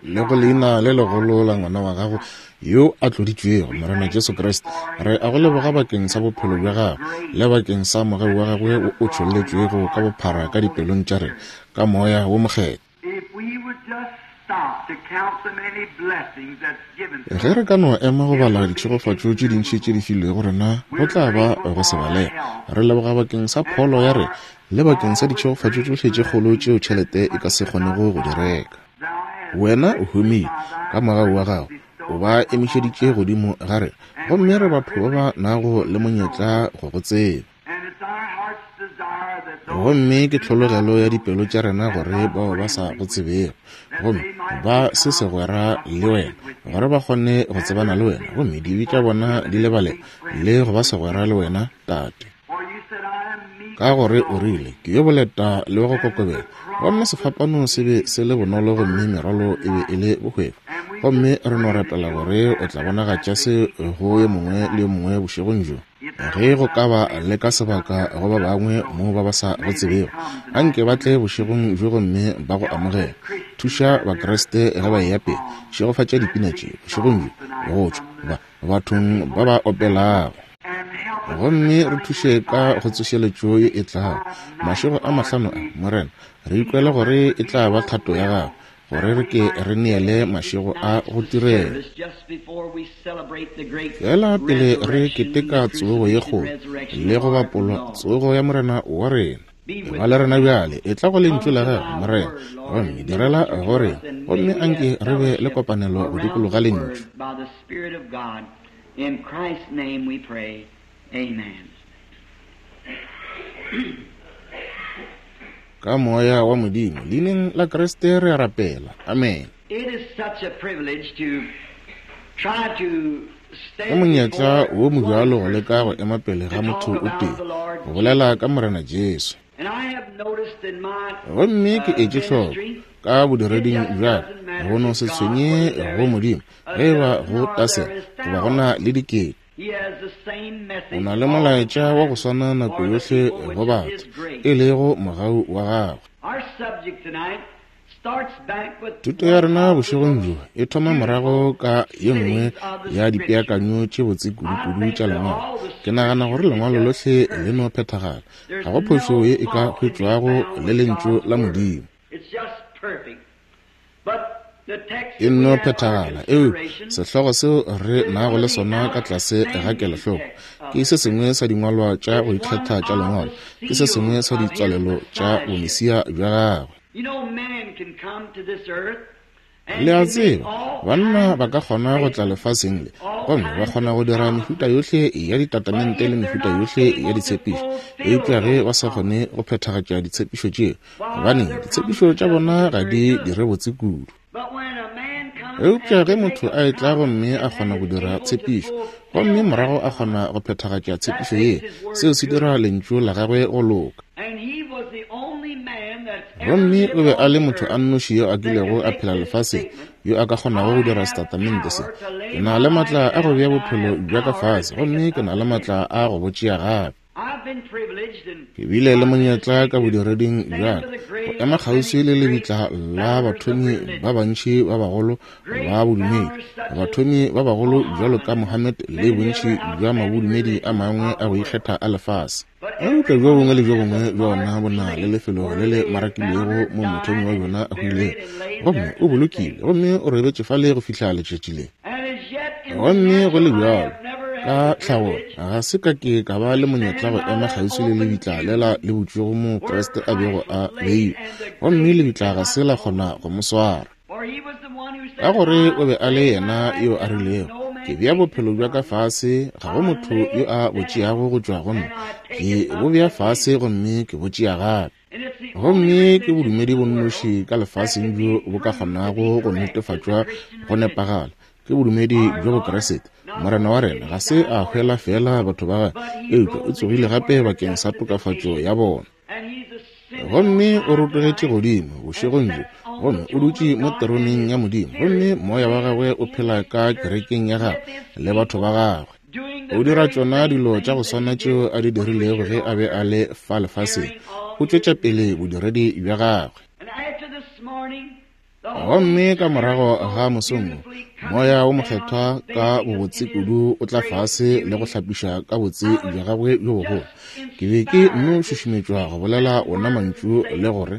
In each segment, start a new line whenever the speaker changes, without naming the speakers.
Le go leina le legolo la ngwana wa gago yo a tloditšwego, Morena Jesu Kriste, re a go leboga bakeng sa bophelo bja gagwe le bakeng sa mogau wa gagwe wo o tšholletšwego ka bophara ka dipelong tša rena ka Moya wo Mokgethwa. Ge re ka no ema go bala ditšhegofatšo tše dintši tše di filwego rena, go tla ba go se balege. Re leboga bakeng sa pholo ya rena le bakeng sa ditšhegofatšo tšohle tše kgolo tšeo tšhelete e ka se kgonego go di reka. Wena o humile ka mogau wa gago, o ba emišeditše godimo ga rena, gomme re batho ba ba nago le monyetla go go tseba. Gomme ke tlhologelo ya dipelo tša rena gore bao ba sa go tsebego gomme ba se segwera le wena, gore ba kgone go tsebana le wena, gomme dibe tša bona di lebalelwe le go ba segwera le wena, Tate. Ka gore o rile, Ke yo boleta le wa go kokobela, gomme sefapano se be se le bonolo gomme merwalo e be e le bohwefo. Gomme re no rapela gore o tla bonagatša se go yo mongwe le yo mongwe bošegong bjo. Ge go ka ba le ka sebaka go ba bangwe mo ba ba sa go tsebego, anke ba tle bošegong bjo gomme ba go amogele. Thuša Bakriste ge ba eya pele. Šegofatša dipina tše bošegong bjo go tšwa ba, bathong ba ba opelago. Gomme re thuše ka go tsošeletšo ye e tlago, mašego a mahlano a, Morena. Re ikwela gore e tla ba thato ya Gago gore re ke re neele mašego a go tirelo. Feela pele re keteka tsogo ye kgolo le go bapolwa tsogo ya Morena wa rena. Eba le rena bjale, etla go Lentšu la Gago, Morena, gomme direla go rena, gomme anke re be le kopanelo go dikologa Lentšu.
In Christ's name we pray. Amen.
Ka Moya wa Modimo, Leineng la Kriste re a rapela. Amene. Ke monyetla wo mobjalo go leka go ema pele ga motho o tee, go bolela ka Morena Jesu. Gomme ke etše hloko ka bodireding bja ka, go no se tshwenye go Modimo ge e ba go tasela goba go na le dikete. O na le molaetša wa go swana nako yohle go batho, e lego mogau wa gagwe. Thuto ya rena bošegong bjo e thoma morago ka ye nngwe ya dipeakanyo tše botse kudu-kudu tša Lengwalo. Ke nagana gore Lengwalo lohle le no phethagala. Ga go phošo ye e ka hwetšwago le Lentšu la Modimo. E nno phethagala. Eupša sehlogo seo re nago le sona ka tlase ga kelohloko ke se sengwe sa dingwalwa tša go ikgetha tša Lengwalo, ke se sengwe sa ditswalelo tša Bomesia bja Gagwe. Le a tseba, banna ba ka kgona go tla lefaseng le gomme ba kgona go dira mehuta yohle ya ditatamente le mehuta yohle ya ditshepišo, eupša ge ba sa kgone go phethagatša ditshepišo tšeo, Gobaneng, ditshepišo tša bona ga di dire botse kudu. Eupša ge motho a etla gomme a kgona go dira tshepišo, gomme morago a kgona go phethagatša tshepišo ye, seo se dira lentšu la gagwe go loka. Gomme o be a le motho a nnoši yo a kilego a phela lefaseng yo a ka kgonago go dira setatamente se. Ke na le matla a go bea bophelo bja ka fase, gomme ke na le matla a go bo tšea gape. Ke bile le monyetla ka bodireding bja ka go ema kgauswi le lebitla la bathomi ba bantši ba bagolo ba bodumedi, bathomi ba bagolo bjalo ka Mohammed le bontši bja mabodumedi a mangwe a go ikgetha a lefase. Eupša bjo bongwe le bjo bongwe bja ona bo na le lefelo le le marakilwego mo mothomi wa bjona a hwilego, gomme o bolokilwe gomme o robetše fale go fihla letšatši le. Gomme go le bjalo, ka tlhago ga se ka ke ka ba le monyetla go ema kgauswi le lebitla lela le butšwego moo Kriste a bego a beilwe, gomme lebitla ga se la kgona go mo swara. Ka gore o be a le yena yo a rilego, Ke bea bophelo bja ka fase, ga go motho yo a bo tšeago go tšwa go nna. Ke bo bea fase gomme ke bo tšea gape. Gomme ke bodumedi bo nnoši ka lefaseng bjo bo ka kgonago go netefatšwa go nepagala, ke bodumedi bja Bokriste. Morena wa rena ga se a hwela feela batho ba gagwe, eupša o tsogile gape bakeng sa tokafatšo ya bona. Gomme o rotogetše godimo bošegong bjo, gomme o dutše mo teroneng ya Modimo, gomme Moya wa gagwe o phela ka kerekeng ya gagwe le batho ba gagwe. O dira tšona dilo tša go swana tšeo a di dirilego ge a be a le fa lefaseng. O tšwetša pele bodiredi bja gagwe. Gomme ka morago ga mosong wo, Moya wo Mokgethwa ka bobotse kudu o tla fase le go hlapiša ka botse bja Gagwe bjo bogolo. Ke be ke nno šušumetšwa go bolela wona mantšu le gore,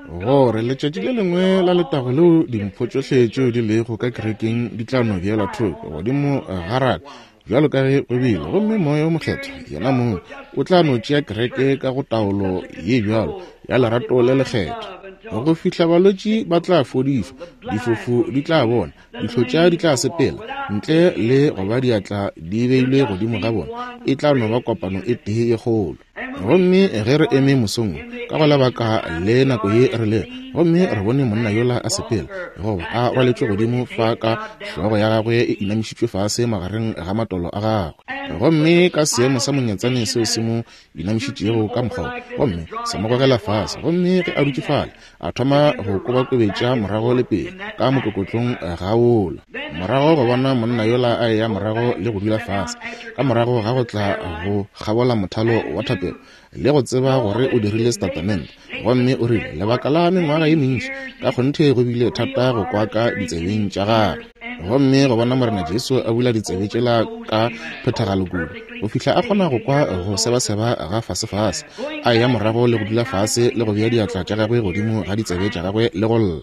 gore letšatši le lengwe la letago leo dimpho tšohle tšeo di lego ka kerekeng di tla no beelwa thoko godimo ga raka bjalo ka ge go bile, gomme Moya wo Mokgethwa yena mong o tla no tšea kereke ka go taolo ye bjalo ya lerato le lekgethwa, go fihla balwetši ba tla fodišwa, difofu di tla bona, dihlotša di tla sepela, ntle le go ba diatla di beilwe godimo ga bona. E tla no ba kopano e tee ye kgolo. Gomme ge re eme mosong wo, ka go lebaka le nako ye re lego, gomme re bone monna yola a sepela, goba a rwaletšwe godimo fa ka hlogo ya gagwe e inamišitšwe fase magareng ga matolo a gagwe, gomme ka seemo sa monyatsane seo se mo inamišitšego ka mokgwa wo, gomme sa mo gogela fase, gomme ge a dutše fale, a thoma go kobakobetša morago le pele ka mokokotlong ga wola. Morago go bona monna yola a eya morago le go dula fase, ka morago ga go tla go kgabola mothalo wa thapelo, le go tseba gore o dirile setatamente, gomme o rile lebaka la mengwaga ye mentši, ka kgonthe go bile thata go kwa ka ditsebeng tša gagwe. Gomme go bona Morena Jesu a bula ditsebe tšela ka phethagalo kudu, go fihla a kgona go kwa go sebaseba ga fasefase, a eya morago le go dula fase le go bea diatla tša gagwe godimo ga ditsebe tša gagwe le go lla.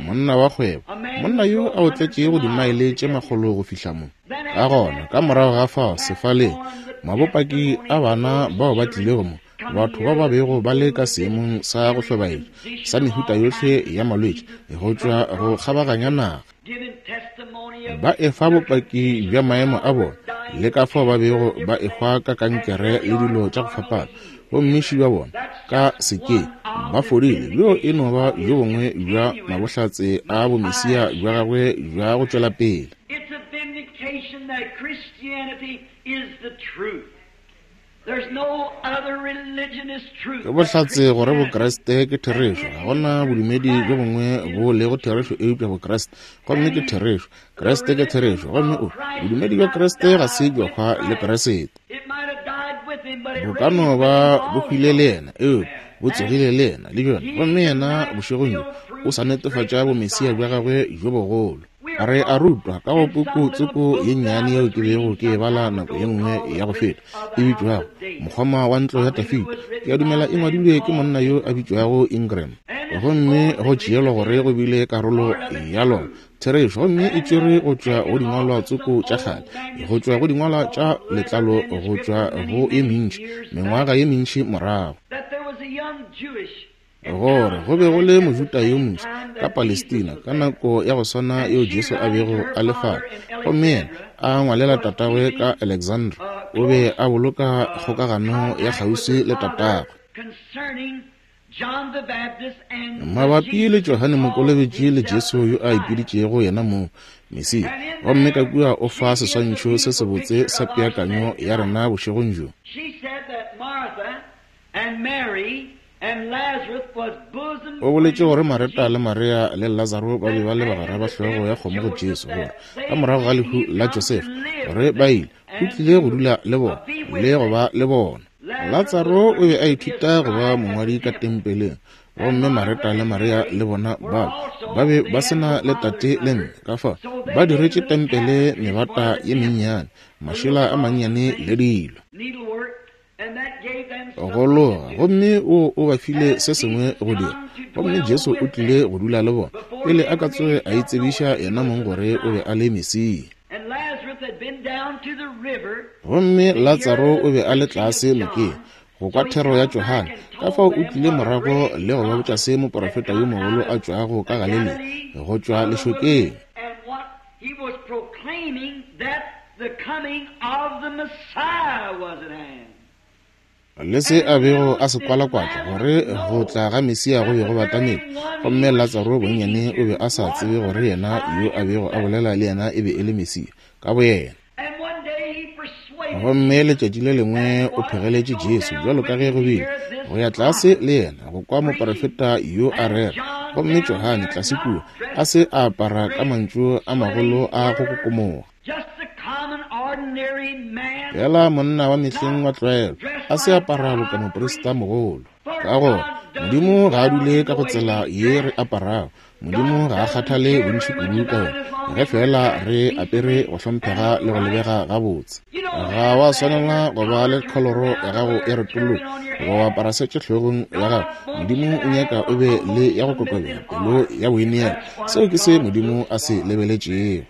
Monna wa kgwebo, monna yo a otletšego dimaele tše makgolo go fihla mo. Ka gona, ka morago ga fao, sefaleng, mabopaki a bana bao ba tlilego mo, batho ba ba bego ba le ka seemong sa go hlobaetša sa mehuta yohle ya malwetši go tšwa go kgabaganya naga, ba efa bopaki bja maemo a bona le ka fao ba bego ba ehwa ka kankere le dilo tša go fapana, gomme ši ba bona ka sekeng ba fodile. Bjo e no ba bjo bongwe bja mabohlatse a bomesia bja gagwe bja go tšwela pele. Ke bohlatse gore Bokriste ke therešo. Ga go na bodumedi bjo bongwe bo lego therešo eupša Bokriste, gomme ke therešo. Kriste ke therešo, gomme o bodumedi bja Kriste ga se bja hwa le Kriste. Bo ka no ba bo hwile le yena, eupša bo tsogile le yena le bjona, gomme yena bošegong bjo o sa netefatša bomesia bja gagwe bjo bogolo. Re a rutwa ka go puku tsoko ye nnyane yeo ke bego ke e bala nako ye nngwe ya go feta, e bitšwago Mokgoma wa Ntlo ya Dafida. Ke a dumela e ngwadilwe ke monna yo a bitšwago Ingram. Gomme go tšeelwa gore go bile karolo ya lona therešo, gomme e tšerwe go tšwa go dingwalwa tsoko tša kgale, go tšwa go dingwalwa tša letlalo, go tšwa go ye mentši, mengwaga ye mentši morago. Gore go be go le Mojuda yo moswa ka Palestina ka nako ya go swana yeo Jesu a bego a le fale, gomme yena a ngwalela tatagwe ka Alexandra, o be a boloka kgokagano ya kgauswi le tatagwe. Mabapi le Johane Mokolobetši le Jesu yo a ipiditšego yena mong Mesia, gomme ka kua o fa seswantšho se sebotse sa peakanyo ya rena bošegong bjo. O boletše gore Mareta le Maria le Lazaro ba be ba le bagwera ba hlogo ya kgomo go Jesu, gore ka morago ga lehu la Josefa, gore ba ile, o tlile go dula le bona le go ba le bona. Latsaro o be a ithuta go ba mongwadi ka tempeleng, gomme Mareta le Maria le bona bao ba be ba se na le tate le mme, ka fao ba diretše tempele mebata ye mennyane, mašela a mannyane le dilo. Go loga, gomme o, o ba file se sengwe go dira. Gomme Jesu o tlile go dula le bona pele a ka tsoge a itsebiša yena mong gore o be a le Mesia. Gomme Latsaro o be a le tlase nokeng go kwa thero ya Johane, ka fao o tlile morago le go ba botša se moprofeta yo mogolo a tšwago ka Galilea, go tšwa lešokeng.
He was proclaiming that the coming of the Messiah was at hand.
Le se a bego a se kwalakwatša, gore go tla ga Mesia go be go batamile. Gomme Latsaro bonnyane o be a sa tsebe gore yena yo a bego a bolela le yena e be e le Mesia, ka boyena. Gomme letšatši le lengwe o phegeletše Jesu, bjalo ka ge go bile, go ya tlase le yena, go kwa moprofeta yo a rera. Gomme Johane, tlase kua, a se a apara ka mantšu a magolo a go kokomoga. Fela monna wa mehleng wa tlwaelo, a se apara boka moprista mogolo. Ka gore, Modimo ga a dule ka go tsela ye re aparago. Modimo ga a kgathale bontši kudu ka yona, ge feela re apere go hlomphega le go lebega gabotse. Ga wa swanela go ba le kholoro ya gago e retologa goba wa apara setše hlogong ya gago. Modimo o nyaka o be le ya go kokobela, pelo ya boineelo. Seo ke se Modimo a se lebeletšego.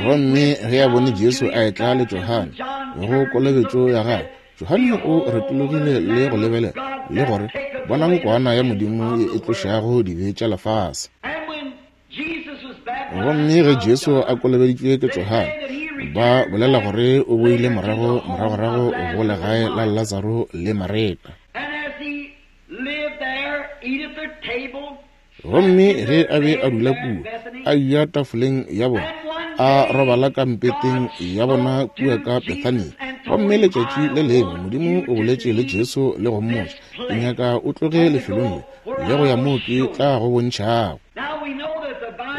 Gomme ge a bone Jesu a etla le Johane go kolobetšo ya gagwe, Johane o retologile le go lebelela le gore, Bonang Kwana ya Modimo ye e tlošago dibe tša lefase. Gomme ge Jesu a kolobeditšwe ke Johane, ba bolela gore o boile morago moragorago go legae la Latsaro le Mareta. Gomme ge a be a dula kua, a eja tafoleng ya bona, a robala ka mpeteng ya bona kua ka Bethania. Gomme letšatši le lengwe Modimo o boletše le Jesu le go mmotša, Ke nyaka o tloge lefelong le, le go ya moo ke tla go bontšhago.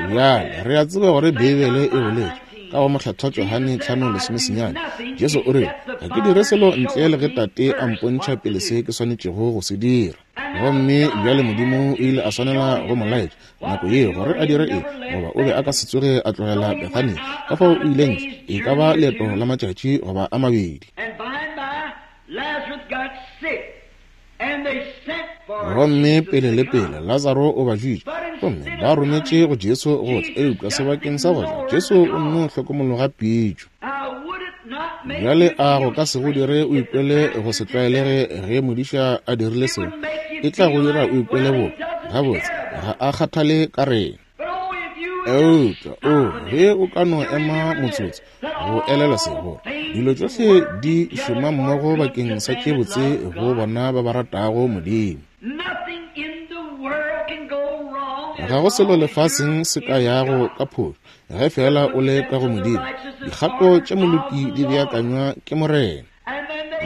Bjale re a tseba gore Beibele e boletše ka go Mokgethwa Johane 5:19, Jesu o rile, Ga ke dire selo ntle le ge Tate a mpontšha pele se ke swanetšego go se dira. Gomme bjale Modimo o ile a swanela go mo laetša nako yeo gore a dire eng, goba o be a ka se tsoge a tlogela Bethania. Ka fao o ile ntle, e ka ba leeto la matšatši goba a mabedi. Gomme pele le pele Latsaro o ba jwitše, gomme ba rometše go Jesu go tla, eupša sebakeng sa go tla, Jesu o nno hlokomologa pitšo. Bjale a go ka se go dire o ikwele go se tlwaelege ge modiša a dirile seo? E tla go dira o ikwele boka, gabotse, ga a kgathale ka rena. Eupša, o, ge o ka no ema motsotso go elelwa se, gore dilo tšohle di šoma mmogo bakeng sa tše botse go bona ba ba ratago Modimo. Ga go selo lefaseng se ka yago ka phošo ge feela o le ka go Modimo. Dikgato tša moloki di beakanywa ke Morena.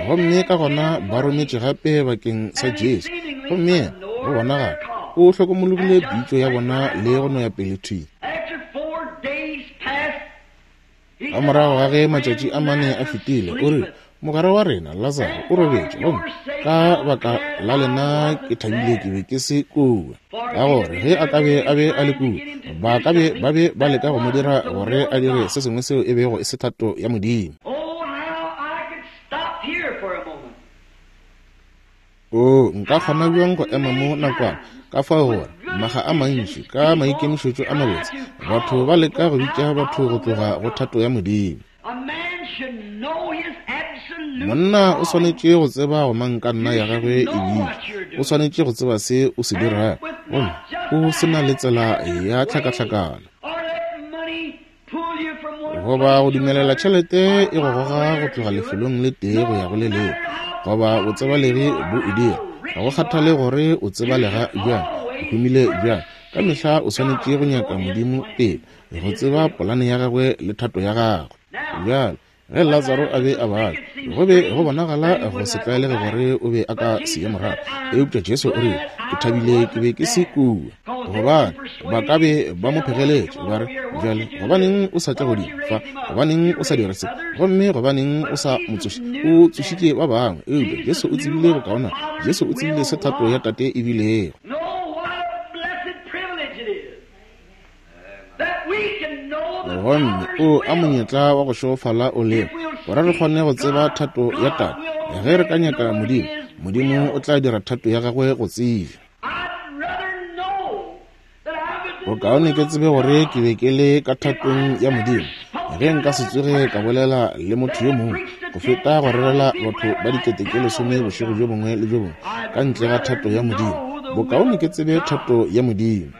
Gomme ka gona ba rometše gape bakeng sa Jesu, gomme yena, go bonagala, o hlokomologile pitšo ya bona le go no ya pele thwi. Ka morago ga ge matšatši a mane a fetile, o rile, Mogwera wa rena Lazaro o robetše, gomme ka baka la lena ke thabile ke be ke se kua. Ka gore ge a ka be a be a le kua, ba ka be ba be ba leka go mo dira gore a dire se sengwe seo e bego e se thato ya Modimo. Oo, nka kgona bjang go ema mo nakwana, ka fao gore maga a mantši, ka maikemišetšo a mabotse, batho ba leka go bitša batho go tloga go thato ya Modimo. Monna o swanetše go tseba go mankanna ya gagwe e bitša. O swanetše go tseba se o se dirago, gomme o se na le tsela ya tlhakatlhakano. Goba go dumelela tšhelete e go goga go tloga lefelong le tee go ya go le lengwe, goba botsebalegi bo e dira. Ga go kgathale gore o tsebalega bjang, o humile bjang, ka mehla o swanetše go nyaka Modimo pele, go tseba polane ya gagwe le thato ya gagwe. Bjale, ge Latsaro a be a babja, go be go bonagala go se tlwaelege gore o be a ka se ye morago. Eupša Jesu o rile, Ke thabile ke be ke se kua, gobane ba ka be ba mo phegeletše, ba re, Bjale, gobaneng o sa tle godimo fa? Gobaneng o sa dire se? Gomme gobaneng o sa mo tsoše? O tsošitše ba bangwe. Eupša Jesu o tsebile bokaonana. Jesu o tsebile se thato ya Tate e bilego. Gomme o a monyetla wa go šegofala o lego, gore re kgone go tseba thato ya Tate. Ge re ka nyaka Modimo, Modimo o tla dira thato ya gagwe go tsebja. Bokaone ke tsebe gore ke be ke le ka thatong ya Modimo, ge nka se tsoge ka bolela le motho yo mongwe, go feta go rerela batho ba dikete tše lesome bošego bjo bongwe le bjo bongwe ka ntle ga thato ya Modimo. Bokaone ke tsebe thato ya Modimo.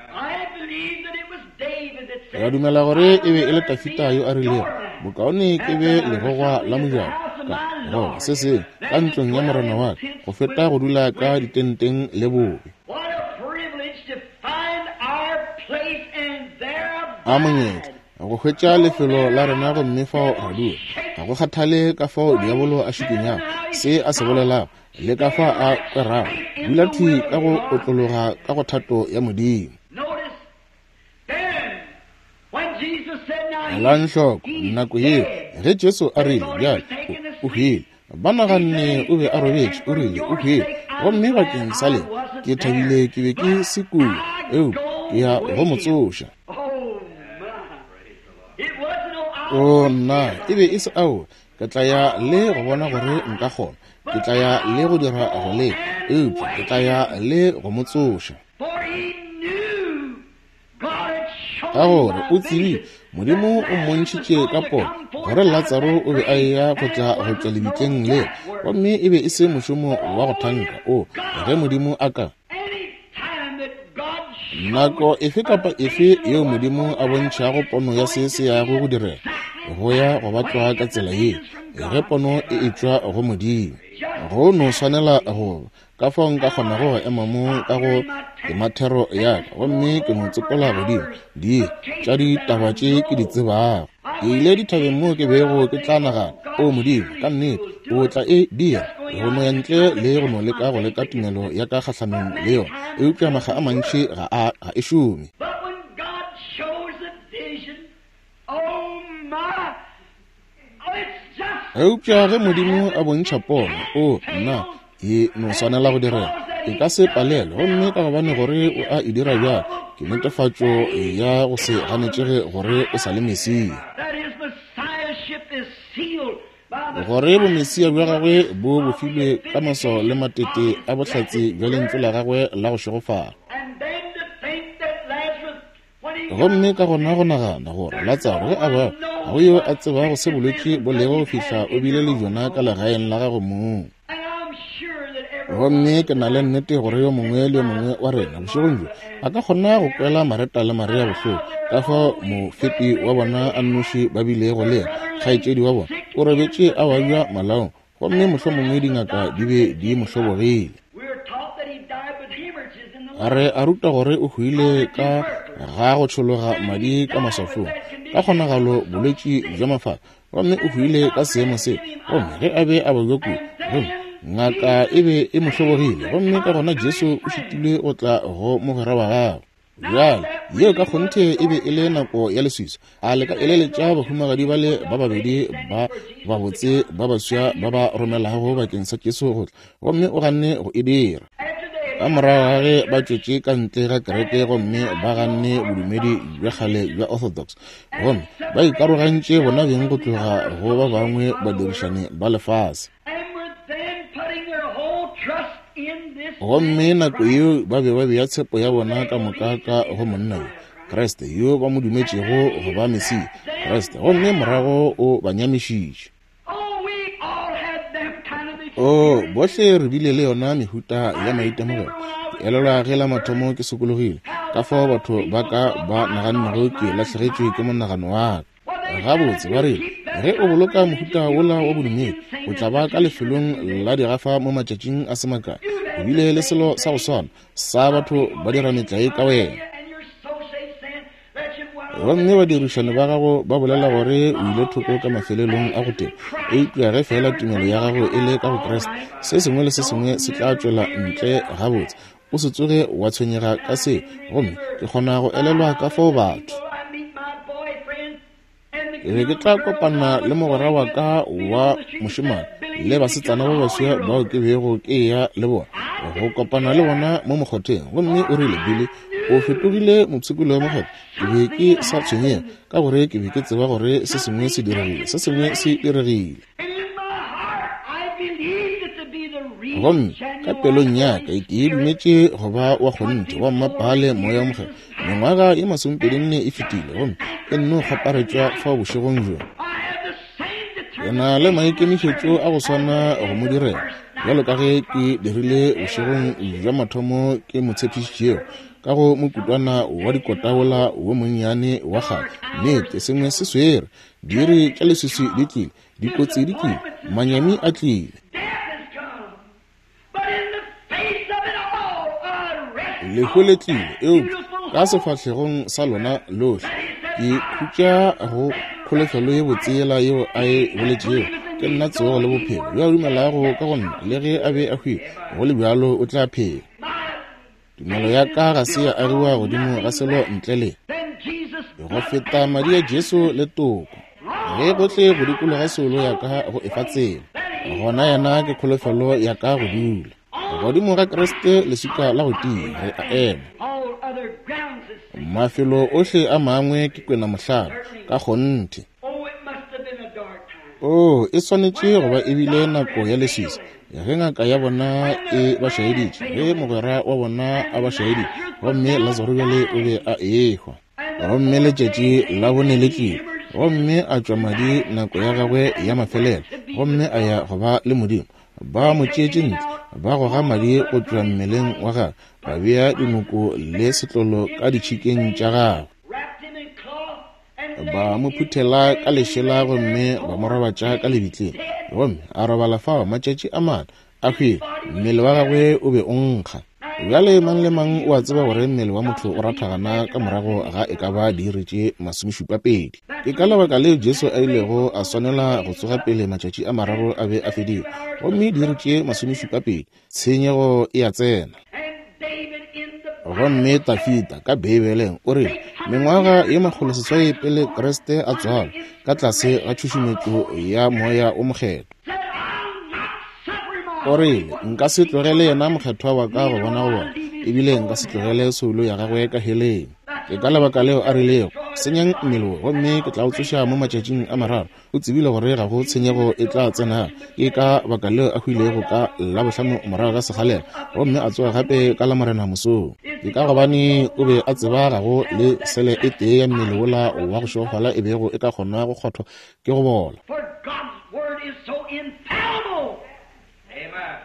Re dumela gore e be e le Tafita yo a rilego, Bokaone ke be legogwa la mojako ka, goba se sengwe, ka ntlong ya morena wa ka, go feta go dula ka ditenteng le bobe. A monyetla go hwetša lefelo la rena gomme fao ra dula. Ga go kgathale ka fao diabolo a šikinyago, se a se bolelago, le ka fa a kwerago, dula thwi ka go otlologa ka go thato ya Modimo. Elang hloko nako yeo ge Jesu a rile, Bjale o hwile. Ba naganne o be a robetše, o rile, o hwile. Gomme bakeng sa lena, ke thabile ke be ke se kua, eupša ke ya go mo tsoša. O nna, e be e se aowa, ke tla ya le go bona gore nka kgona. Ke tla ya le go dira go leka, eupša ke tla ya le go mo tsoša. Ka gore o tsebile Modimo o mmontšhitše ka pono gore Latsaro o be a eya go tla go tšwa lebitleng le, gomme e be e se mošomo wa go thanka. O, ge Modimo a ka nako efe kapa efe yeo Modimo a bontšhago pono ya se se yago go direga, go ya go batlwa ka tsela ye, ge pono e etšwa go Modimo, go no swanela go ba. Ka fao nka kgonago go ema mo ka go temathero ya ka gomme ke no tsopola godimo di tša ditaba tše ke di tsebago. Ke ile dithabeng moo ke bego ke tla nagana, O Modimo, ka nnete o tla e dira, go no ya ntle le go no leka go leka tumelo ya ka kgahlanong le yona. Eupša makga a mantši ga a, ga e šome. Eupša ge Modimo a bontšha pono, o, nna, e no swanela go direga. E ka se palelwe, gomme ka gobane gore o a e dira bjalo, ke netefatšo ya go se ganetšege gore o sa le Mesia. Gore bomesia bja gagwe bo bofilwe ka maswao le matete a bohlatse bja lentšu la gagwe la go šegofala. Gomme ka gona go nagana gore Latsaro ge a ba ga go yo a tsebago se bolwetši bo lego go fihla o bile le bjona ka legaeng la gago mong. Gomme ke na le nnete gore yo mongwe le yo mongwe wa rena bošegong bjo a ka kgona go kwela Mareta le Maria bohloko ka fao mofepi wa bona a nnoši ba bilego le yena, kgaetšedi wa bona, o robetše a babja malaong, gomme mohlomongwe dingaka di be di mo hlobogile. Re a ruta gore o hwile ka ga go tšhologa madi ka maswafong, ka kgonagalo bolwetši bja mafafa, gomme o hwile ka seemo seo. Gomme ge a be a babja kudu, gomme ngaka e be e mo hlobogile, gomme ka gona Jesu o šitilwe go tla go mogwera wa gagwe. Bjale, yeo ka kgonthe e be e le nako ya leswiswi. A le ka eleletša bahumagadi bale ba babedi ba babotse ba baswa ba ba romelago bakeng sa Jesu go tla, gomme o ganne go e dira. Ka morago ga ge ba tšwetše ka ntle ga kereke gomme ba ganne bodumedi bja kgale bja Orthodox, gomme ba ikarogantše bona beng go tloga go ba bangwe badirišani ba lefase. Gomme nako yeo ba be ba bea tshepo ya bona ka moka ka go monna yo, Kriste, yo ba mo dumetšego go ba Mesia, Kriste, gomme morago o ba nyamišitše. O, bohle re bile le yona mehuta ya maitemogelo. Ke elelwa ge la mathomo ke sokologile, ka fao batho ba ka ba nagannego ke lahlegetšwe ke monagano wa ka. Gabotse, ba rile, ge o boloka mohuta wola wa bodumedi, o tla ba ka lefelong la digafa mo matšatšing a se makae. O bile le selo sa go swana sa batho ba dira metlae ka wena. Gomme badirišani ba gago ba bolela gore o ile thoko ka mafelelong a go teba. Eupša ge feela tumelo ya gago e le ka go Kriste, se sengwe le se sengwe se tla tšwela ntle gabotse. O se tsoge wa tshwenyega ka se. Gomme ke kgona go elelwa ka fao batho. Ke be ke tla kopana le mogwera wa ka wa mošemane le basetsana ba baswa bao ke bego ke eya le bona, go kopana le bona mo mokgotheng. Gomme o rile, Billy, o fetogile mopshikologi wa mokgotha. Ke be ke sa tshwenyege, ka gore ke be ke tseba gore se sengwe se diregile, se sengwe se diregile. Gomme ka pelong ya ka ke e dumetše go ba wa kgonthe wa mmapaale Moya wo Mokgethwa. Mengwaga ye masomepedinne e fetile, gomme e nno kgwaparetšwa fao bošegong bjo. Ke na le maikemišetšo a go swana go mo direla bjalo ka ge ke dirile bošegong bja mathomo ke mo tshepišitšego ka go mokutwana wa dikota wola wo monnyane wa kgale. Nnete, sengwe se swere. Diiri tša leswiswi di tlile, dikotsi di tlile, manyami a tlile. Lehu le tlile, eupša ka sefahlegong sa lona lohle ke khutša go kholofelo ye botse yela yeo a e boletšego, Ke nna tsogo le bophelo, yo a dumelago ka go nna, le ge a be a hwile, go le bjalo o tla phela. Tumelo ya ka ga se ya agiwa godimo ga selo ntle le go feta madi a Jesu le toko. Ge gohle go dikologa soulo ya ka go efa tsela. Gona Yena ke kholofelo ya ka go dula. Godimo ga Kriste leswika la go tia, re a ema. Mafelo ohle a mangwe ke kwena mohlala, ka kgonthe. Oo, e swanetše go ba e bile nako ya leswiswi ge ngaka ya bona e ba šaeditše, ge mogwera wa bona a ba šaeditše, gomme Lazaro bjale o be a ehwa. Gomme letšatši la bone le tlile, gomme a tšwa madi nako ya gagwe ya mafelelo, gomme a ya go ba le Modimo. Ba mo tšeetše ntle, ba goga madi go tšwa mmeleng wa gagwe, ba bea dinoko le setlolo ka ditšhikeng tša gagwe. Ba mo phuthela ka lešela gomme ba mo robatša ka lebitleng, gomme a robala fao matšatši a mane, a hwile, mmele wa gagwe o be o nkga. Bjale mang le mang o a tseba gore mmele wa motho o rathagana ka morago ga e ka ba diiri tše masomešupapedi. Ke ka lebaka leo Jesu a ilego a swanela go tsoga pele matšatši a mararo a be a fedile, gomme diiri tše masomešupapedi, tshenyego e a tsena. Gomme Tafita ka Beibeleng o rile, mengwaga ye makgoloseswai pele Kriste a tswalwa, ka tlase ga tšhušumetšo ya Moya o Mokgethwa, o rile, Nka se tlogele yena mokgethwa wa ka go bona go bona, ebile nka se tlogele soulo ya gagwe ka heleng. Ke ka lebaka leo a rilego, Senyang mmele wo, gomme ke tla o tsoša mo matšatšing a mararo. O tsebile gore ga go tshenyego e tla tsena. Ke ka baka leo a hwilego ka Labohlano morago ga sekgalela, gomme a tsoga gape ka Lamorena mosong. Ke ka gobane o be a tseba ga go le sele e tee ya mmele wola wa go šegofala e bego e ka kgona go kgothwa ke go bola.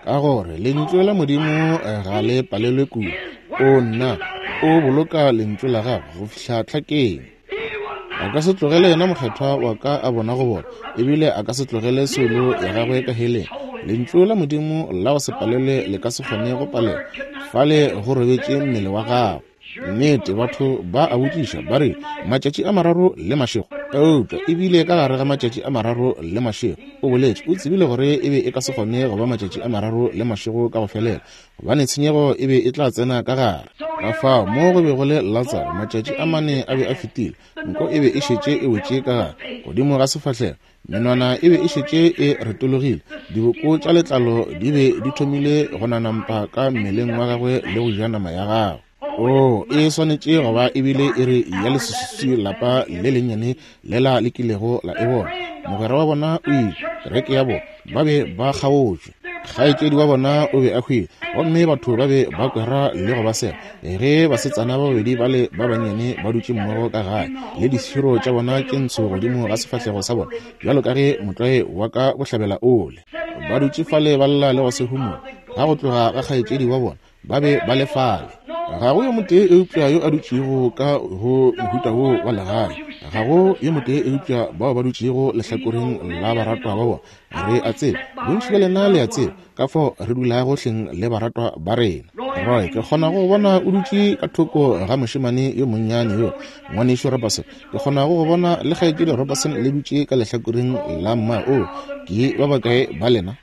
Ka gore Lentšu la Modimo ga le palelwe kudu. O nna, o boloka Lentšu la gagwe go fihla tlhakeng. A ka se tlogele yena mokgethwa wa ka a bona go bona, ebile a ka se tlogele soulo ya gagwe ka heleng. Lentšu la Modimo la go se palelwe le ka se kgone go palelwa. Fale go robetše mmele wa gagwe. Nnete, batho ba a botšiša, ba re, Matšatši a mararo le mašego? Eupša e bile ka gare ga matšatši a mararo le mašego. O boletše, o tsebile gore e be e ka se kgone go ba matšatši a mararo le mašego ka go felela, gobane tshenyego e be e tla tsena ka gare. Ka fao, mo go be go le Latsaro, matšatši a mane a be a fetile, nko e be e šetše e wetše ka gare, godimo ga sefahlego, Menwana e be e šetše e retologile, diboko tša letlalo di be di thomile go nanampa ka mmeleng wa gagwe le go ja nama ya gagwe. Oo, e swanetše go ba e bile iri ya leswiswi lapa le lennyane lela le kilego la e bona. Mogwera wa bona o ile, kereke ya bona, ba be ba kgaotšwe. Kgaetšedi wa bona o be a hwile, gomme batho ba be ba kwera le go ba sega. Ge basetsana ba babedi bale ba bannyane ba dutše mmogo ka gae, le diširo tša bona tše ntsho godimo ga sefahlego sa bona, bjalo ka ge motlwae wa ka bohlabela o le, ba dutše fale ba lla le go se humola, ga go tloga ga kgaetšedi wa bona, ba be ba le fale. Ga go yo motee eupša yo a dutšego ka go mohuta wo wa legae. Ga go yo motee eupša bao ba dutšego lehlakoreng la baratwa ba bona. Re a tseba, bontši bja lena le a tseba, ka fao re dulago hleng le baratwa ba rena. Roy, ke kgona go bona o dutše ka thoko ga mošemane yo monnyane yo, Ngwanešu Robertson. Ke kgona go bona le Kgaetšedi Robertson le dutše ka lehlakoreng la mma. Oo, ke ba bakae ba lena?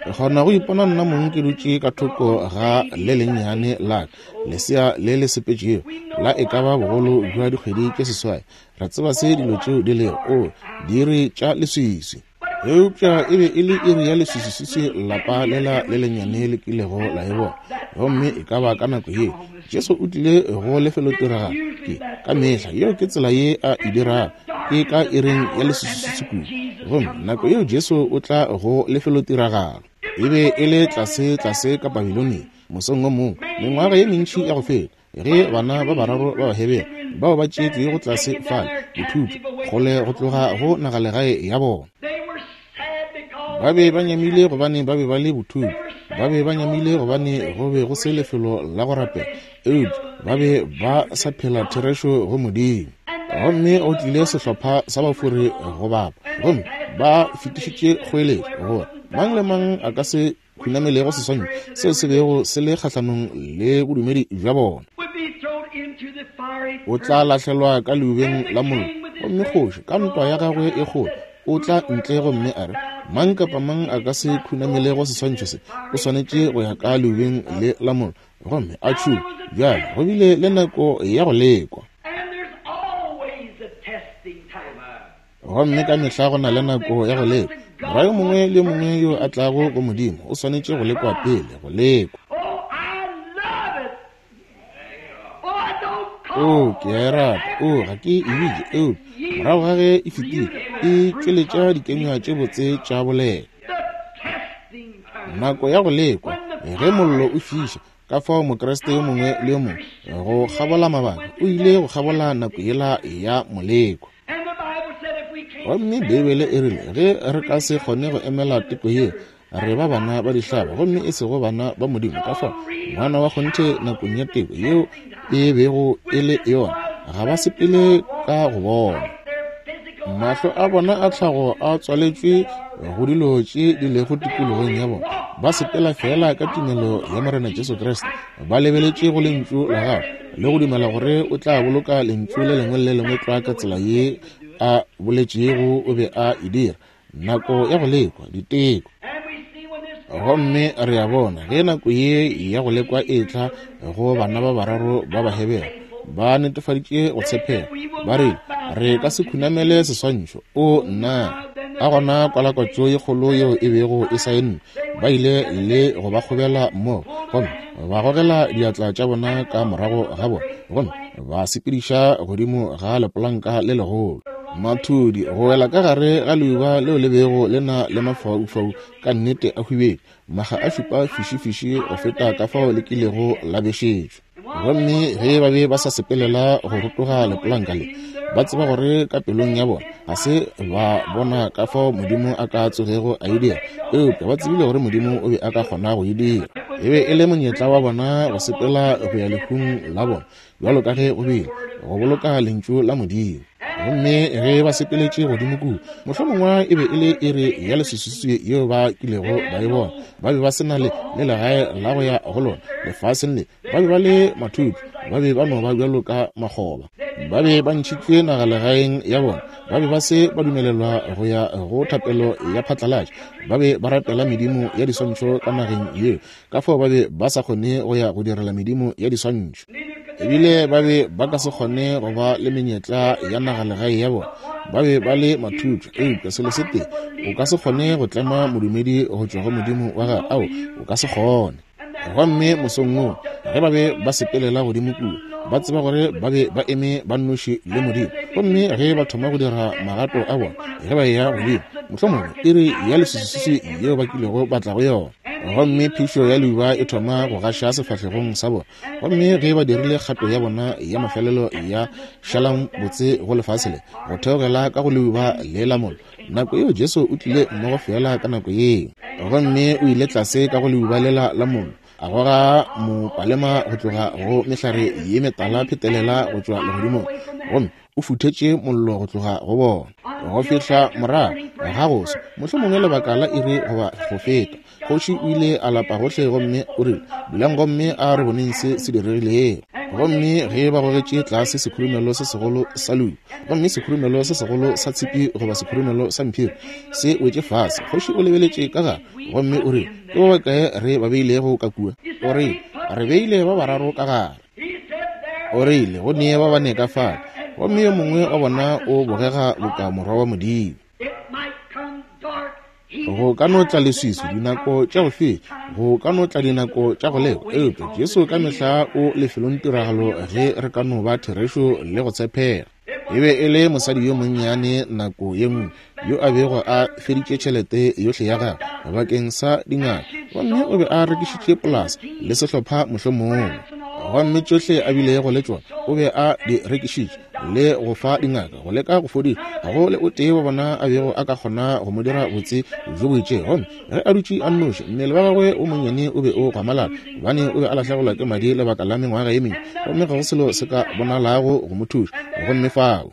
Ke kgona go ipona nna mong ke dutše ka thoko ga le lennyane la ka, lesea le le sepetšego, la e ka ba bogolo bja dikgwedi tše seswai. Re tseba se dilo tšeo di lego, oo, diiri tša leswiswi. Eupša e be e le iri ya leswiswiswiswi lapa lela le lennyane le kilego la e bona. Gomme e ka ba ka nako yeo, Jesu o tlile go lefelotiragalo. Ke, ka mehla, yeo ke tsela ye a e dirago, ke ka iring ya leswiswiswiswi kudu. Gomme nako yeo Jesu o tla go lefelotiragalo. E be e le tlase, tlase ka Babilonia, mosong wo mongwe, mengwaga ye mentši ya go feta, ge bana ba bararo ba Bahebere bao ba tšeetšwego tlase fale, dithutho, kgole go tloga go nagalegae ya bona. Ba be ba nyamile gobane ba be ba le bothutho. Ba be ba nyamile gobane go be go se lefelo la go rapela, eupša ba be ba sa phela therešo go Modimo. Gomme go tlile sehlopha sa bafori go bapa, gomme ba fetišitše kgoeletšo gore mang le mang a ka se khunamelego seswantšho seo se bego se le kgahlanong le bodumedi bja bona. O tla lahlelwa ka leubeng la mollo, gomme kgoši ka ntwa ya gagwe e kgolo o tla ntle gomme a re, Mang kapa mang a ka se khunamelego seswantšho se o swanetše go ya ka leubeng le la mollo gomme a tšhume. Bjale go bile le nako ya go lekwa. Gomme ka mehla go na le nako ya go lekwa. Morwa yo mongwe le yo mongwe yo a tlago go Modimo o swanetše go lekwa pele, go lekwa. Oo, ke a e rata. Oo, ga ke e bitše, eupša morago ga ge e fetile, e tšweletša dikenywa tše botse tša boleta. Nako ya go lekwa, ge mollo o fiša, ka fao Mokriste yo mongwe le yo mongwe go kgabola mabaka o ile go kgabola nako yela ya moleko. Gomme Beibele e rile ge re ka se kgone go emela teko ye, re ba bana ba dihlaba gomme e sego bana ba Modimo. Ka fao ngwana wa kgonthe nakong ya teko yeo e bego e le yona, ga ba sepele ka go bona. Mahlo a bona a tlhago a tswaletšwe go dilo tše di lego tikologong ya bona. Ba sepela feela ka tumelo ya Morena Jesu Kriste, ba lebeletše go Lentšu la Gagwe le go dumela gore o tla boloka Lentšu le lengwe le le lengwe tlwa ka tsela ye a boletšego o be a e dira. Nako ya go lekwa, diteko. Gomme re a bona ge nako ye ya go lekwa e tla go bana ba bararo ba Bahebere, ba netefaditše go tshepega. Ba rile, Re ka se khunamele seswantšho. O nna! Ka gona kwalakwatšo ye kgolo yeo e bego e saennwe, ba ile le go ba kgobela mmogo, gomme ba gogela diatla tša bona ka morago ga bona, gomme ba sepediša godimo ga lepolanka le legolo. Mathudi go wela ka gare ga leuba leo le bego le na le mafaufau ka nnete a hwibedu, makga a šupa fišifiši go feta ka fao le kilego la bešetšwa. Gomme ge ba be ba sa sepelela go rotoga lepolanka le, ba tseba gore ka pelong ya bona ga se ba bona ka fao Modimo a ka tsogego a e dira, eupša ba tsebile gore Modimo o be a ka kgona go e dira. E be e le monyetla wa bona go sepela go ya lehung la bona, bjalo ka ge go bile, go boloka Lentšu la Modimo. Gomme ge ba sepeletše godimo kua, mohlomongwe e be e le iri ya leswiswiswi yeo ba kilego ba e bona. Ba be ba se na le, le legae la go ya go lona lefaseng le. Ba be ba le mathuthu, ba be ba no ba bjalo ka makgoba. Ba be ba ntšhitšwe nagalegaeng ya bona, ba be ba se ba dumelelwa go ya go thapelo ya phatlalatša. Ba be ba rapela medimo ya diswantšho ka nageng yeo, ka fao ba be ba sa kgone go ya go direla medimo ya diswantšho. Ebile ba be ba ka se kgone go ba le menyetla ya nagalegae ya bona, ba be ba le mathuthu. Eupša selo se tee, o ka se kgone go tlema modumedi go tšwa go Modimo wa gagwe, ao, o ka se kgone. Gomme mosong woo, ge ba be ba sepelela godimo kua, ba tseba gore ba be ba eme ba nnoši le Modimo. Gomme ge ba thoma go dira magato a bona, ge ba eya godimo, mohlomongwe iri ya leswiswiswi yeo ba kilego ba tla go yona, gomme phišo ya leuba e thoma go gaša sefahlegong sa bona. Gomme ge ba dirile kgato ya bona ya mafelelo ya šalang botse go lefase le, go theogela ka go leuba le la mollo, Nako yeo Jesu o tlile mmogo feela ka nako yeo. Gomme o ile tlase ka go leuba lela la mollo, a goga mopalema go tloga go mehlare ye metala phetelela go tšwa legodimong, gomme o futhetše mollo go tloga go bona. Go fihla morago ga go swa, mohlomongwe lebaka la iri goba go feta, Kgoši o ile a lapa gohle gomme o rile, Dulang gomme a re boneng se se diregilego. Gomme ge ba gogetše tlase sekhurumelo se segolo sa leuba, gomme sekhurumelo se segolo sa tshipi goba sekhurumelo sa mphiri se wetše fase, kgoši o lebeletše ka gare gomme o rile, Ke ba bakae re ba beilego ka kua? O rile, Re beile ba bararo ka gare. O rile, Go ne ba bane ka fale, gomme yo mongwe wa bona o bogega boka morwa wa Modimo. Go ka no tla leswiswi dinako tša go fetša, go ka no tla dinako tša go lekwa, eupša Jesu ka mehla o lefelong tiragalo ge re ka no ba therešo le go tshepega. E be e le mosadi yo monnyane nako ye nngwe yo a bego a feditše tšhelete yohle ya gagwe bakeng sa dingaka, gomme o be a rekišitše polasa le sehlopha mohlomongwe, gomme tšohle a bilego le tšona o be a di rekišitše le go fa dingaka go leka go fodiša. Ga go le o tee wa bona a bego a ka kgona go mo dira botse bjo bo itšego. Gomme ge a dutše a nnoši, mmele wa gagwe o monnyane o be o gwamalala, gobane o be a lahlegelwa ke madi lebaka la mengwaga ye mentši, gomme ga go selo se ka bonalago go mo thuša. Gomme fao.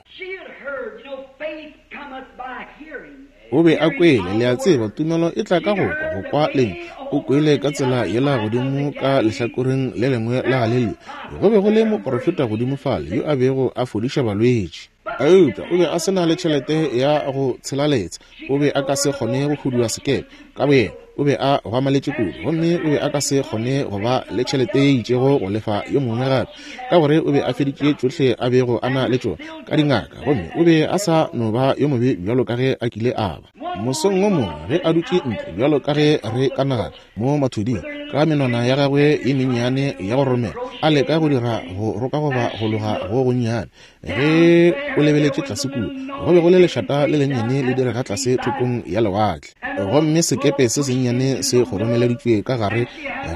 O be a kwele, le a tseba, tumelo e tla ka go kwa, go kwa Lentšu. O kwele ka tsela yela godimo ka lehlakoreng le lengwe la Galelia. Go be go le moprofeta godimo fale yo a bego a fodiša balwetši. Eupša o be a se na le tšhelete ya go tshela letsha. O be a ka se kgone go hudua sekepe ka boyena. O be a gwamaletše kudu, gomme o be a ka se kgone go ba le tšhelete ye itšego go lefa yo mongwe gape, ka gore o be a feditše tšohle a bego a na le tšona ka dingaka, gomme o be a sa no ba yo mobe bjalo ka ge a kile a ba. Mosong wo mongwe ge a dutše ntle, bjalo ka ge re ka nagana, mo mathuding, ka menwana ya gagwe ye mennyane ya go romela, a leka go dira go roka goba go loga go gonnyane, ge o lebeletše tlase kua, go be go le lešata le lennyane le direga tlase thokong ya lewatle, gomme sekepe se sennyane se kgoromeleditšwe ka gare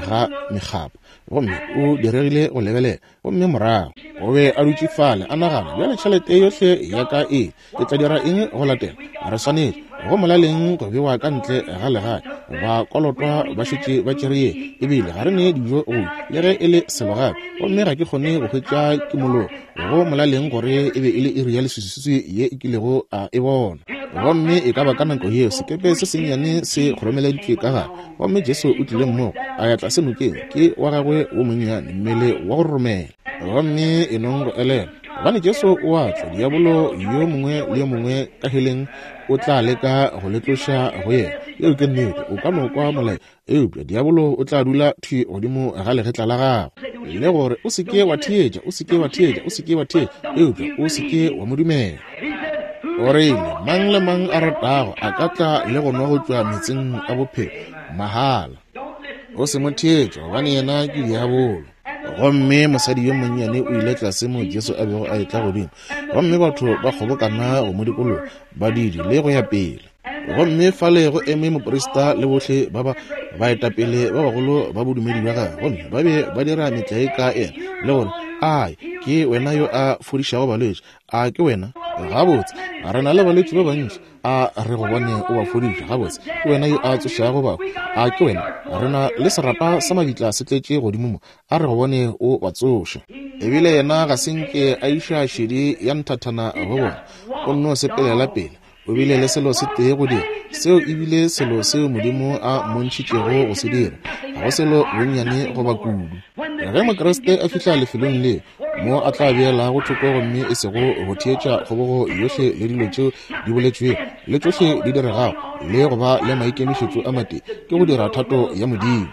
ga mekgapa, gomme o diregile go lebelela. Gomme morago o be a dutše fale a nagana, bjale tšhelete yohle ya ka e, ke tla dira eng go latela? Re swanetše go molaleng go bewa ka ntle ga legae, ba kolotwa ba šetše ba tšere ye, ebile ga re ne dijo go le ge e le selo gape, gomme ga ke kgone go hwetša kimologo. Go molaleng gore e be e le iri ya leswiswiswi ye e kilego a e bona. Gomme e ka ba ka nako yeo sekepe se sennyane se kgoromeleditšwe ka gare, gomme Jesu o tlile mmogo, a ya tlase nokeng, ke wa gagwe wo monnyane, mmele wa go roromela. Gomme e nong go elelwa, gobane Jesu o a tla, diabolo yo mongwe le yo mongwe ka heleng o tla leka go le tloša go yena. Yeo ke nnete. O ka no kwa molaetša, eupša diabolo o tla dula thwi godimo ga legetla la gago le gore o se ke wa theetša, o se ke wa theetša, o se ke wa theetša, eupša o se ke wa mo dumela. O rile, mang le mang a ratago a ka tla le go nwa go tšwa metseng a bophelo mahala. O se mo theetše, gobane yena ke diabolo. Gomme mosadi yo monnyane o ile tlase mo Jesu a bego a etla godimo, gomme batho ba kgobokana go mo dikologa, badidi le go ya pele. Gomme fale go eme moprista le bohle ba ba baetapele ba bagolo ba bodumedi bja gagwe, gomme ba be ba dira metlae ka yena le gore, Ai, ke wena yo a fodišago balwetši, a ke wena? Gabotse, re na le balwetši ba bantši, a re go bone o ba fodiša. Gabotse, ke wena yo a tsošago bahu, a ke wena? Re na le serapa sa mabitla se tletše godimo mo, a re go bone o ba tsoša. Ebile yena ga se nke a iša šedi ya nthathana go bona, o nno sepelela pele. O bile le selo se tee go dira, seo e bile selo seo Modimo a mmontšhitšego go se dira, ga go selo bonnyane goba kudu. Ge Mokriste a fihla lefelong le mo a tla beelago thoko gomme e sego go theetša kgobogo yohle le dilo tšeo di boletšwego le tšohle di diregago, le go ba le maikemišetšo a matee, ke go dira thato ya Modimo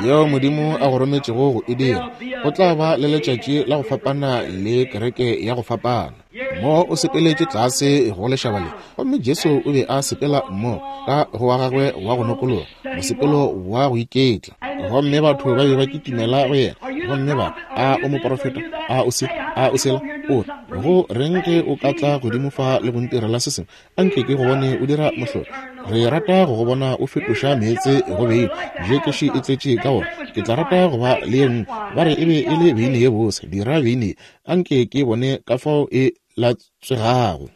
yeo Modimo a go rometšego go e dira, go tla ba le letšatši la go fapana le kereke ya go fapana. Mo o sepeletše tlase go lešaba le, gomme Jesu o be a sepela mmogo ka go wa gagwe wa go nokologa, mosepelo wa go iketla. Gomme batho ba be ba kitimela go yena, gomme ba, A o moprofeta? A o se? A o sela? O re, Go reng ge o ka tla godimo fa le go ntirela se sengwe? A nke ke go bone o dira mohlolo. Re rata go go bona o fetoša meetse go beine. Jekeši e tletše ka wona. Ke tla rata go ba le ye nngwe. Ba re e be e le beine ye bose. Dira beine ye. A nke ke bone ka fao e latswegago.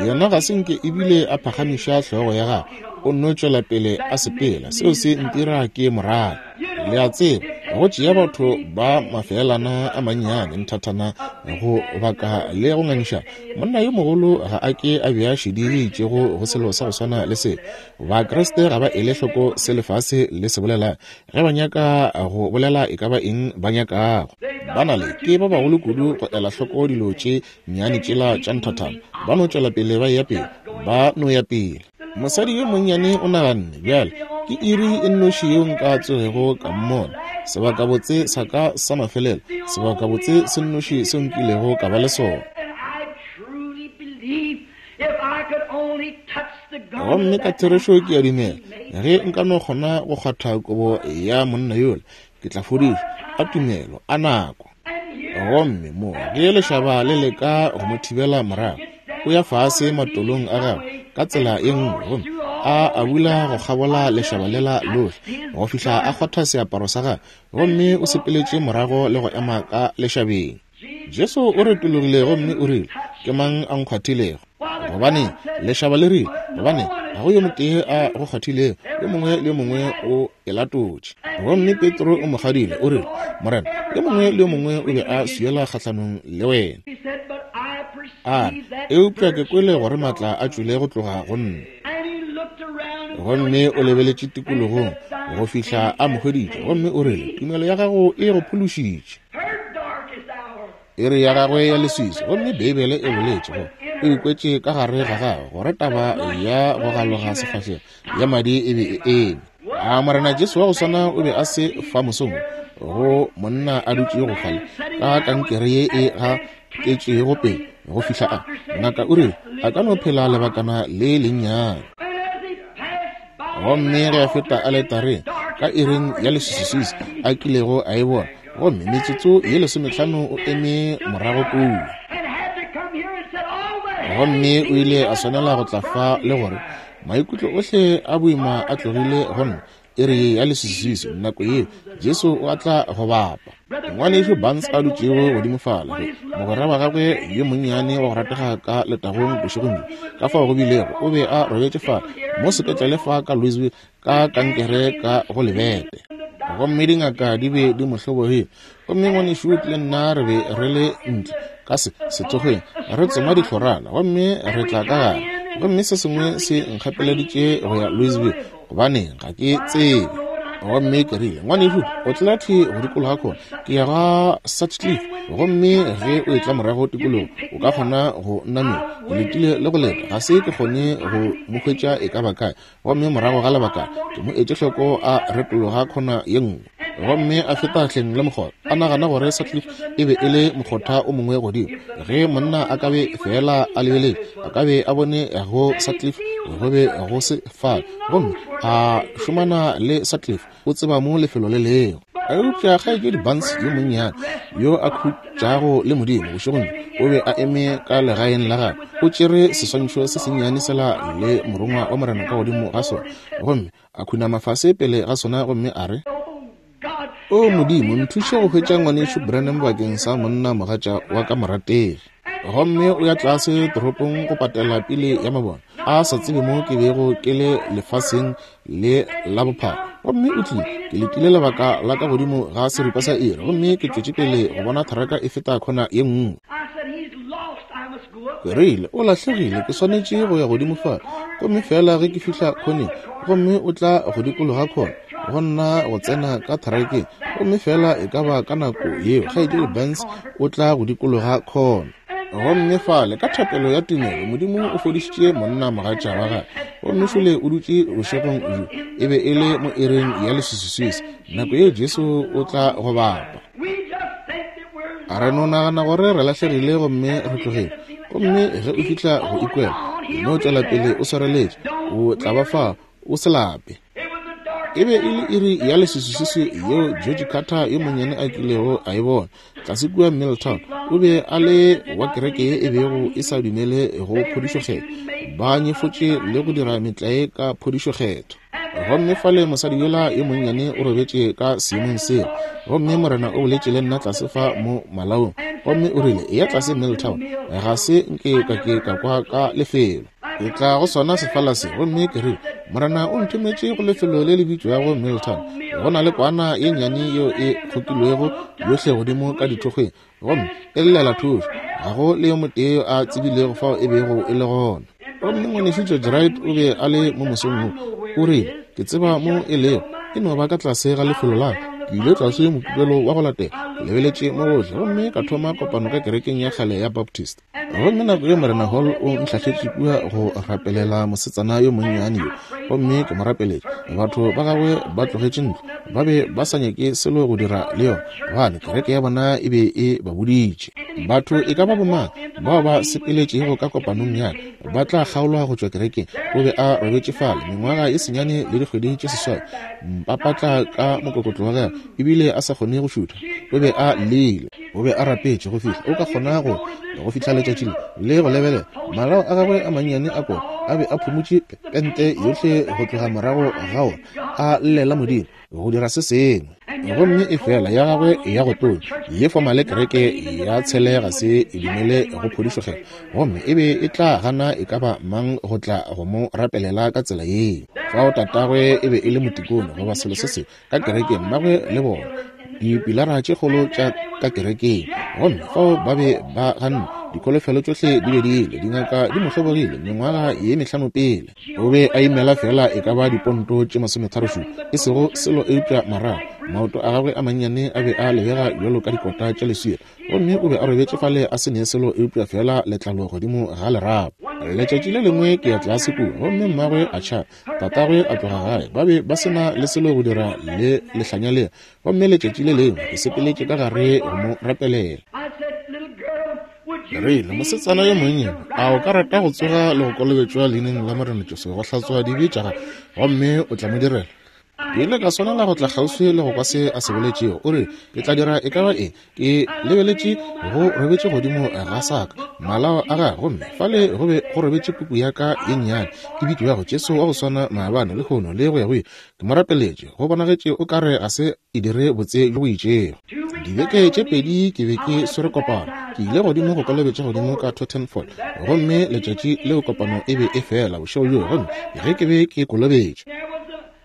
Yena ga se nke ebile a phagamiša hlogo ya gagwe. O nno tšwela pele a sepela. Seo se ntira ke mo rate. Le a tseba, go tšea batho ba mafeelana a mannyane nthathana go baka le go ngangišana. Monna yo mogolo ga a ke a bea šedi ye itšego go selo sa go swana le se. Bakriste ga ba ele hloko se lefase le se bolelang ge ba nyaka go bolela e ka ba eng ba nyakago. Ba na le ke ba bagolo kudu go ela hloko dilo tše nnyane tšela tša nthathana. Ba no tšwela pele ba eya pele, ba no ya pele. Mosadi yo monnyane o naganne, Bjale, ke iri e nnoši yeo nka tsogego ka mmona. Sebakabotse sa ka sa mafelelo, sebakabotse se nnoši seo nkilego ka ba le sona. Gomme ka therešo ke a dumela, ge nka no kgona go kgwatha kobo ya monna yola, ke tla fodišwa. A tumelo, a nako! Gomme mo ge lešaba le leka go mo thibela morago, o ya fase matolong a gagwe ka tsela ye nngwe, gomme a abula go kgabola lešaba lela lohle go fihla a kgwatha seaparo sa gagwe, gomme o sepeletše morago le go ema ka lešabeng. Jesu o retologile gomme o rile, Ke mang a nkgwathilego? Gobane lešaba le rile, Gobane ga go yo motee a go kgwathilego, yo mongwe le yo mongwe o e latotše. Gomme Petro o mo kgadile, o rile, Morena, yo mongwe le yo mongwe o be a swiela kgahlanong le wena. A re, Eupša ke kwele gore maatla a tšwele go tloga go nna. Gomme o lebeletše tikologong go fihla a mo hweditše, gomme o rile, Tumelo ya gago e go phološitše. Iri ya gagwe ya leswiswi, gomme Beibele e boletše gore O ikwetše ka gare ga gagwe gore taba ya go galoga sefahlego ya madi e be e eme. A Morena Jesu wa go swana o be a se fa mosong go monna a dutšego fale ka kankere ye e gatetšego pele go fihla a ngaka o rile a ka no phela lebakana le lennyane. Gomme ge a feta aletareng ka iring ya leswiswiswi a kilego a e bona, gomme metsotso ye 15 o eme morago kua. Gomme o ile a swanela go tla fa le gore maikutlo ohle a boima a tlogile go nna. Iri ya leswiswiswi nako yeo Jesu o a tla go bapa. Ngwanešu Barnes a dutšego godimo fale, ge mogwera wa gagwe yo monnyane wa go ratega ka letagong bošegong bjo, ka fao go bilego, o be a robetše fale mo sepetlele fa ka Louisville ka kankere ka go lebete, gomme dingaka di be di mo hlobogile. Gomme ngwanešu le nna re be re le ntle ka sethokgweng re tsoma dihlorana, gomme re tla ka gare, gomme se sengwe se nkgapeleditše go ya Louisville, gobaneng ga ke tsebe. Gomme ke rile, ngwanešu, o tlela thwi go dikologa khona, ke ya ga Sutcliffe, gomme ge o etla morago tikologo o ka kgona go nnamela. Ke letile le go leta, ga se ke kgone go mo hwetša e ka ba kae. Gomme morago ga lebaka ke mo etše hloko a retologa khona ye nngwe, gomme a feta hleng le mokgotha, a nagana gore Sutcliffe e be e le mokgotha o mongwe godimo. Ge monna a ka be feela a lebeletše, a ka be a bone go Sutcliffe go be go se fale, gomme a šomana le Sutcliffe, o tseba mo lefelo le lego. Eupša kgaetšedi Barnes yo monnyane yo a khutšago le Modimo bošegong bjo, o be a eme ka legaeng la gagwe, o tšere seswantšho se sennyane sela le morongwa wa Morena ka godimo ga sona, gomme a khunama fase pele ga sona, gomme a re, O Modimo, nthuše go hwetša ngwanešu Branham bakeng sa monna mogatša wa ka morategi. Gomme o ya tlase toropong go patela pele ya mabone, a sa tsebe mo ke bego ke le lefaseng le la bophara. Gomme o tlile, ke letile lebaka la ka godimo ga seripa sa iri, gomme ke tšwetše pele go bona tharaka e feta khona ye nngwe. Ke rile, o lahlegile, ke swanetše go ya godimo fale. Gomme feela ge ke fihla khoneng, gomme o tla go dikologa khona, go nna go tsena ka tharakeng, gomme feela e ka ba ka nako yeo kgaetšedi Burns o tla go dikologa khona. Gomme fale ka thapelo ya tumelo Modimo o fodišitše monna mogatša wa gagwe, gomme šole o dutše bošegong bjo, e be e le mo iring ya leswiswiswi nako yeo Jesu o tla go bapa. A re no nagana gore re lahlegile gomme re tlogile, gomme ge o fihla go ikwela no tšwela pele o swareletše, o tla ba fa o se lape. E be e le iri ya leswiswiswi yeo George Carter yo monnyane a kilego a e bona tlase kua Milltown. O be a le wa kereke ye e bego e sa dumele go phodišokgetho, ba nyefotše le go dira metlae ka phodišokgetho. Gomme fale mosadi yola yo monnyane o robetše ka seemong seo, gomme Morena o boletše le nna tlase fa mo malaong, gomme o rile, eya tlase Milltown. Ga se nke ka ke ka kwa ka lefelo. Ke tla go sona sefala se, gomme ke rile, Morena o nthometše go lefelo le le bitšwago Milltown. Go na le kwana ye nnyane yeo e kgokilwego yohle godimo ka dithokgweng, gomme e llela thušo. Ga go le yo motee yo a tsebilego fao e bego e le gona. Gomme ngwanešu George Wright o be a le mo mosong wo. O rile, Ke tseba mo e lego, e no ba ka tlase ga lefelo la ka. Ke ile tlase mokibelo wa go latela, ke lebeletše mo gohle, gomme ka thoma kopano ka kerekeng ya kgale ya Baptist. Gomme nako ye Morena Hall o ntlhahletše kua go rapelela mosetsana yo monnyane yo, gomme ke mo rapeletše. Batho ba gagwe ba tlogetše ntlo, ba be ba sa nyake selo go dira le yona, gobane kereke ya bona e be e ba boditše. Batho e ka ba bomang bao ba sepeletšego ka kopanong ya ka ba tla kgaolwa go tšwa kerekeng. O be a robetše fale mengwaga e senyane le dikgwedi tše seswai, mpapatla ka mokokotlo wa gagwe, ebile a sa kgone go šutha. O be a llile. O be a rapetše go fihla o ka kgona go go fihla letšatši le le go lebelela. Malao a gagwe a mannyane a kota a be a phumotše pente yohle go tloga morago ga ona, a llela Modimo go dira se sengwe. Gomme efela ya gagwe ya go tonya ye fomale kereke ya tshele ga se e dumele go phodišokgetho, gomme e be e tla gana e ka ba mang go tla go mo rapelela ka tsela yeo. Fao tatagwe e be e le motikone goba selo se sengwe ka kerekeng, mmagwe le bona dipilara tše kgolo tša ka kerekeng, gomme fao ba be ba ganne. Dikholofelo tšohle di be di ile, dingaka di mo hlobogile mengwaga ye mehlano pele. O be a imela fela e ka ba diponto tše 37, e sego selo eupša marago. Maoto a gagwe a mannyane a be a lebega bjalo ka dikota tša leswika, gomme o be a robetše fale a se ne selo eupša feela letlalo godimo ga lerapo. Letšatši le lengwe ke ya tlase kua, gomme mmagwe a tšhaba, tatagwe a tloga gae, ba be ba se na le selo go dira le lehlanya lela. Gomme letšatši le lengwe ke sepeletše ka gare go mo rapelela. Ke rile, Mosetsana yo monnyane, a o ka rata go tsoga le go kolobetšwa leineng la Morena Jesu go hlatswa dibe tša gago, gomme o tla mo direla? Ke ile ka swanela go tla kgauswi le go kwa se a se boletšego. O rile, Ke tla dira e ka ba eng. Ke lebeletše go robetše godimo ga sa ka, malao a gagwe, gomme fale go be go robetše puku ya ka ye nnyane e bitšwago Jesu wa go swana maabane, lehono, le go ya go ile. Ke mo rapeletše, go bonagetše o ka re ga se e dire botse bjo bo itšego. Dibeke tše pedi ke be ke swere kopano. Ke ile godimo go kolobetša godimo ka Totten Ford, gomme letšatši leo kopano e be e fela bošego bjoo, gomme ge ke be ke kolobetša,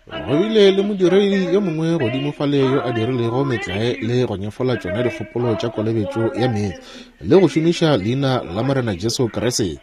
go bile le modiredi yo mongwe godimo fale yo a dirilego metlae le go nyefola tšona dikgopolo tša kolobetšo ya meetse le go šomiša leina la Morena Jesu Kriste.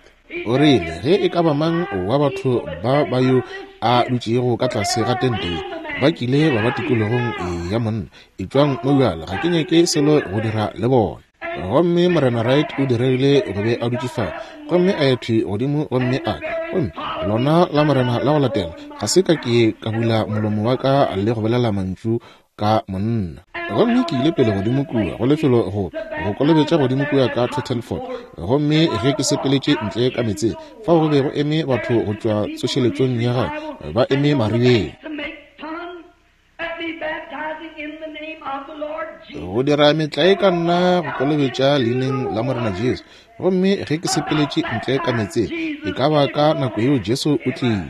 O rile, Ge e ka ba mang wa batho ba ba yo a dutšego ka tlase ga tente ye ba kile ba ba tikologong ya monna, etšwang mo bjale, ga ke nyake selo go dira le bona. Gomme Morena Wright o diregile go be a dutše fao, gomme a ya thwi godimo gomme a gomme lona la Morena la go latela ga se ka ke ka bula molomo wa ka le go bolela mantšu ka monna. Gomme ke ile pele godimo kua go lefelo go go kolobetša godimo kua ka Turtleford. Gomme ge ke sepeletše ntle ka meetseng, fao go be go eme batho go tšwa tsošeletšong ya gagwe, ba eme maribeng. Go dira metlae ka nna go kolobetša leineng la Morena Jesu. Gomme ge ke sepeletše ntle ka meetseng, e ka ba ka nako yeo Jesu o tlile.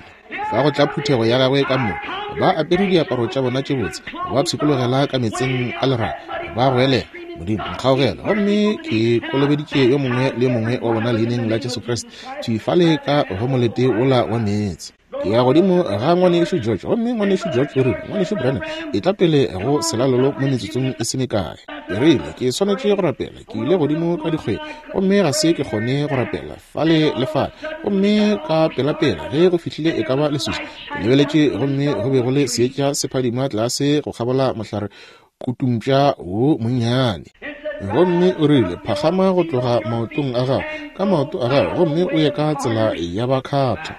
Fa go tla phuthego ya gagwe ka moka, ba apere diaparo tša bona tše botse, ba pshikologela ka meetseng a leraga, ba goelela, Modimo, nkgaogele. Gomme ke kolobeditše yo mongwe le yo mongwe wa bona leineng la Jesu Kriste, thwi fale ka go molete wola wa meetse. Ke ya godimo ga ngwanešu George, gomme ngwanešu George o rile, Ngwanešu Branham, etla pele go selalelo mo metsotsong e se mekae. Ke rile, Ke swanetše go rapela. Ke ile godimo ka dikgweng, gomme ga se ke kgone go rapela fale le fale. Gomme ka pelapela ge go fihlile e ka ba leswiswi, ke lebeletše gomme go be go le seetša se phadima tlase go kgabola mohlare kutumpša wo monnyane. Gomme o rile, Phagama go tloga maotong a gago, ka maoto a gago, gomme o ye ka tsela ya bakgatha.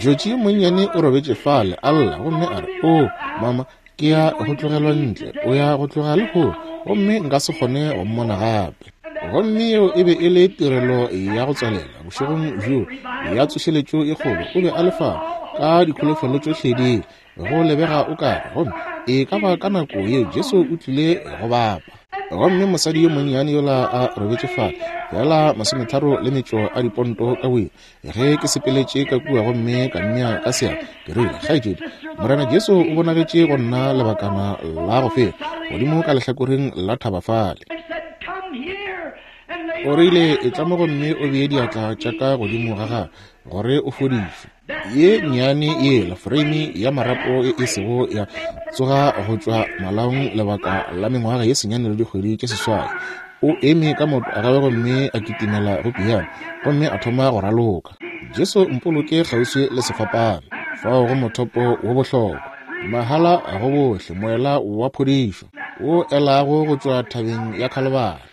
Georgie yo monnyane o robetše fale, a lla, gomme a re, Oo, mama, ke ya go tlogelwa ntle, o ya go tloga lehono, gomme nka se kgone go mmona gape. Gomme yeo e be e le tirelo ya go tswalela bošegong bjoo ya tsošeletšo e kgolo. O be a le fao ka dikholofelo tšohle di go lebega o kare, gomme e ka ba ka nako yeo Jesu o tlile go bapa. Gomme mosadi yo monnyane yola a robetše fale, feela masometharo le metšo a diponto ka boima, ge ke sepeletše ka kua gomme ka mmea ka seatla, ke rile, Kgaetšedi, Morena Jesu o bonagetše go nna lebakana la go feta, godimo ka lehlakoreng la thaba fale. O rile, Etla mo gomme o bee diatla tša ka godimo ga gago, gore o fodišwe. Ye nnyane yela foreime ya marapo e e sego ya tsoga go tšwa malaong lebaka la mengwaga ye senyane le dikgwedi tše seswai. O eme ka maoto a gagwe gomme a kitimela go piano gomme a thoma go raloka. Jesu mpoloke kgauswi le sefapano, fao go mothopo wo bohlokwa, mahala go bohle, moela wa phodišo wo elago go tšwa thabeng ya Khalibari.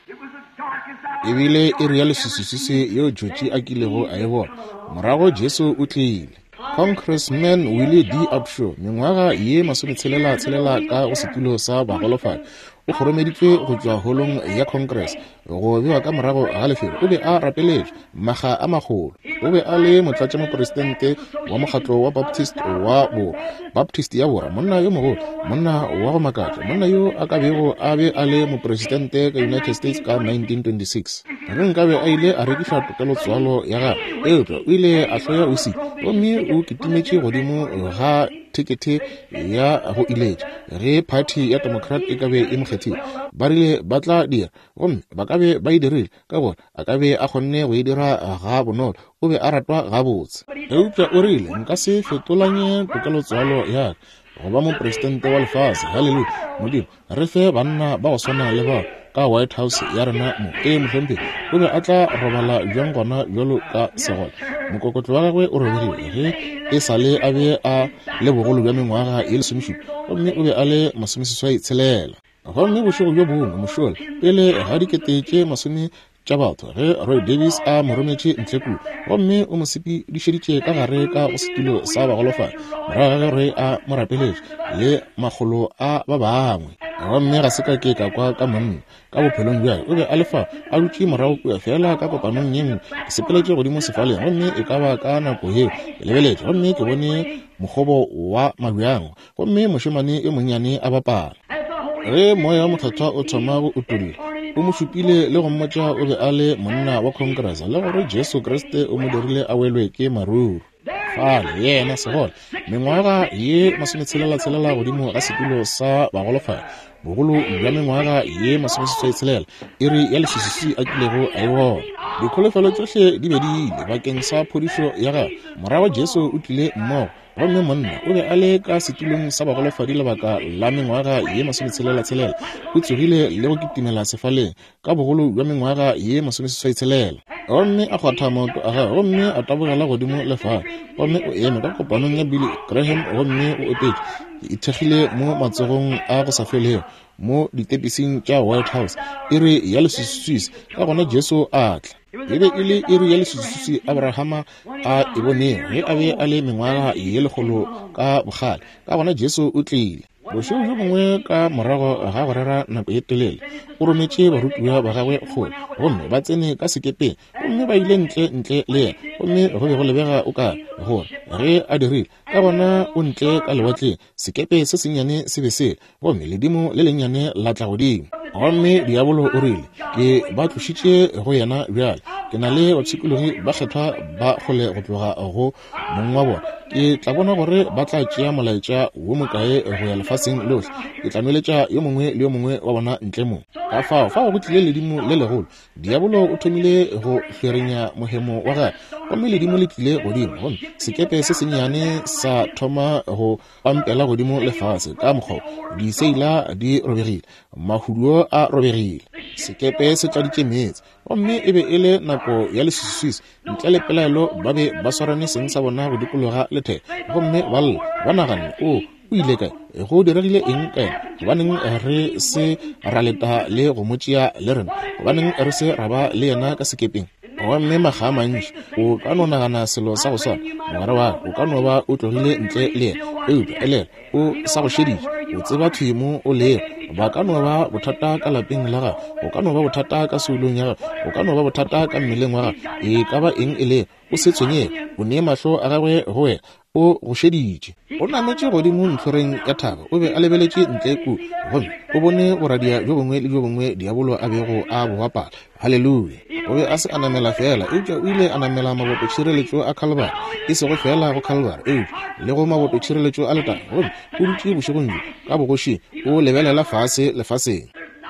E bile iri ya leswiswiswiswi yeo Georgie a kilego a e bona. Morago Jesu o tlile. Congressman Willie D. Upshaw, mengwaga ye masometshelela tshelela ka go setulo sa bagolofadi, o kgoromeditšwe go tšwa holong ya Congress go bewa ka morago ga lefelo. O be a rapeletšwe makga a magolo. O be a le motlatšamopresidente wa mokgatlo wa Baptist wa Borwa, Baptist ya Borwa, monna yo mogolo, monna wa go makatša, monna yo a ka bego a be a le mopresidente ka United States ka 1926. Ge nkabe a ile a rekiša tokelotswalo ya gagwe, eupša o ile a hloya whisky gomme o kitimetše godimo ga thekethe ya go iletša ge phathi ya Democrat e ka be e mo kgethile. Ba rile ba tla dira, gomme ba ka be ba e dirile, ka gore a ka be a kgonne go e dira ga bonolo. O be a ratwa gabotse. Eupša o rile, Nka se fetolanye tokelotswalo ya ka go ba mopresidente wa lefase. Haleluya! Modimo, re fe banna ba go swana le bao. ka White House ya rena mo. Ee, mohlomphegi. O be a tla robala bjang gona bjalo ka segole? Mokokotlo wa gagwe o robegile ge e sa le a be a le bogolo bja mengwaga ye lesomešupa, gomme o be a le masomeseswai tshelela. Gomme bošego bjo bongwe mošola, pele ga dikete tše masome tša batho, ge Roy Davis a mo rometše ntle kua, gomme o mo sepedišeditše ka gare ka go setulo sa bagolofadi, morago ga ge Roy a mo rapeletše le makgolo a ba bangwe. Gomme ga se ka ke ka kwa ka monna ka bophelong bja o be a le fa a dutše morago kua feela ka kopanong ye nngwe. Ke sepeletše godimo sefaleng, gomme e ka ba ka nako yeo ke lebeletše, gomme ke bone mokgobo wa mabjang, gomme mošemane yo monnyane a bapala. Ge Moya wo Mokgethwa o thoma go utolla, o mo šupile le go mmotša o be a le monna wa Congress le gore Jesu Kriste o mo dirile a welwe ke maruru. Fale, yena segole, mengwaga ye masometshela-tshelela godimo ga setulo sa bagolofadi, bogolo bja mengwaga ye masomeseswai-tshelela, iri ya leswiswi a kilego a e bona. Dikholofelo tšohle di be di ile bakeng sa phodišo ya gagwe. Morago Jesu o tlile mmogo. Gomme monna o be a le ka setulong sa bagolofadi lebaka la mengwaga ye masometshela-tshelela. O tsogile le go kitimela sefaleng ka bogolo bja mengwaga ye masomeseswai-tshelela. Gomme a kgwatha maoto a gagwe gomme a tabogela godimo le fale. Gomme o eme ka kopanong ya Billy Graham gomme o opetše, Ke ithekgile mo matsogong a go sa felego, mo ditepising tša White House, iri ya leswiswiswi. Ka gona Jesu a tla. E be e le iri ya leswiswiswi Abrahama a e bonego ge a be a le mengwaga ye lekgolo ka bokgale. Ka gona Jesu o tlile. Bošego bjo bongwe ka morago ga go rera nako ye telele, o rometše barutiwa ba gagwe kgole, gomme ba tsene ka sekepeng, gomme ba ile ntle ntle le yena, gomme go be go lebega o ka gore ge a dirile, ka gona o ntle ka lewatleng, sekepe se sennyane se be se, gomme ledimo le lennyane la tla godimo. Gomme diabolo o rile, Ke ba tlošitše go yena bjale. Ke na le bapshikologi ba kgethwa ba kgole go tloga go mong wa bona. Ke tla bona gore ba tla tšea molaetša wo mokae go ya lefaseng lohle. Ke tla nweletša yo mongwe le yo mongwe wa bona ntle mo. Ka fao, fao go tlile ledimo le legolo. Diabolo o thomile go hlwerenya mohemo wa gagwe, gomme ledimo le tlile godimo, gomme sekepe se sennyane sa thoma go pampela godimo le fase ka mokgwa diseila di robegile, mahuduo a robegile, sekepe se tladitše meetse, gomme e be e le nako ya leswiswiswi. Ntle le pelaelo ba be ba swarane seng sa bona go dikologa letheka, gomme ba lla, ba naganne, O, o ile kae? Go diregile eng ka yena? Gobaneng re se ra leta le go mo tšea le rena? Gobaneng re se ra ba le yena ka sekepeng? Gomme makga a mantši o ka no nagana selo sa go swana, mogwera wa ka, o ka no ba o tlogile ntle le yena, eupša elelwa, o sa go šeditše, o tseba thwi mo o lego. Ba ka no ba bothata ka lapeng la gago, o ka no ba bothata ka soulong ya gago, o ka no ba bothata ka mmeleng wa gago, e ka ba eng e lego, o se tshwenyege, o nee mahlo a gagwe go wena, o go šeditše. O nametše godimo ntlhoreng ya thaba, o be a lebeletše ntle kua, gomme o bone boradia bjo bongwe le bjo bongwe diabolo a bego a bo bapala. Haleluya! O be a se a namela feela, eupša o ile a namela mabototšhireletšo a Khalibari, e sego feela go Khalibari, eupša le go mabototšhireletšo a letago. Gomme o dutše bošegong bjo ka bogošing, o lebelela fase lefaseng.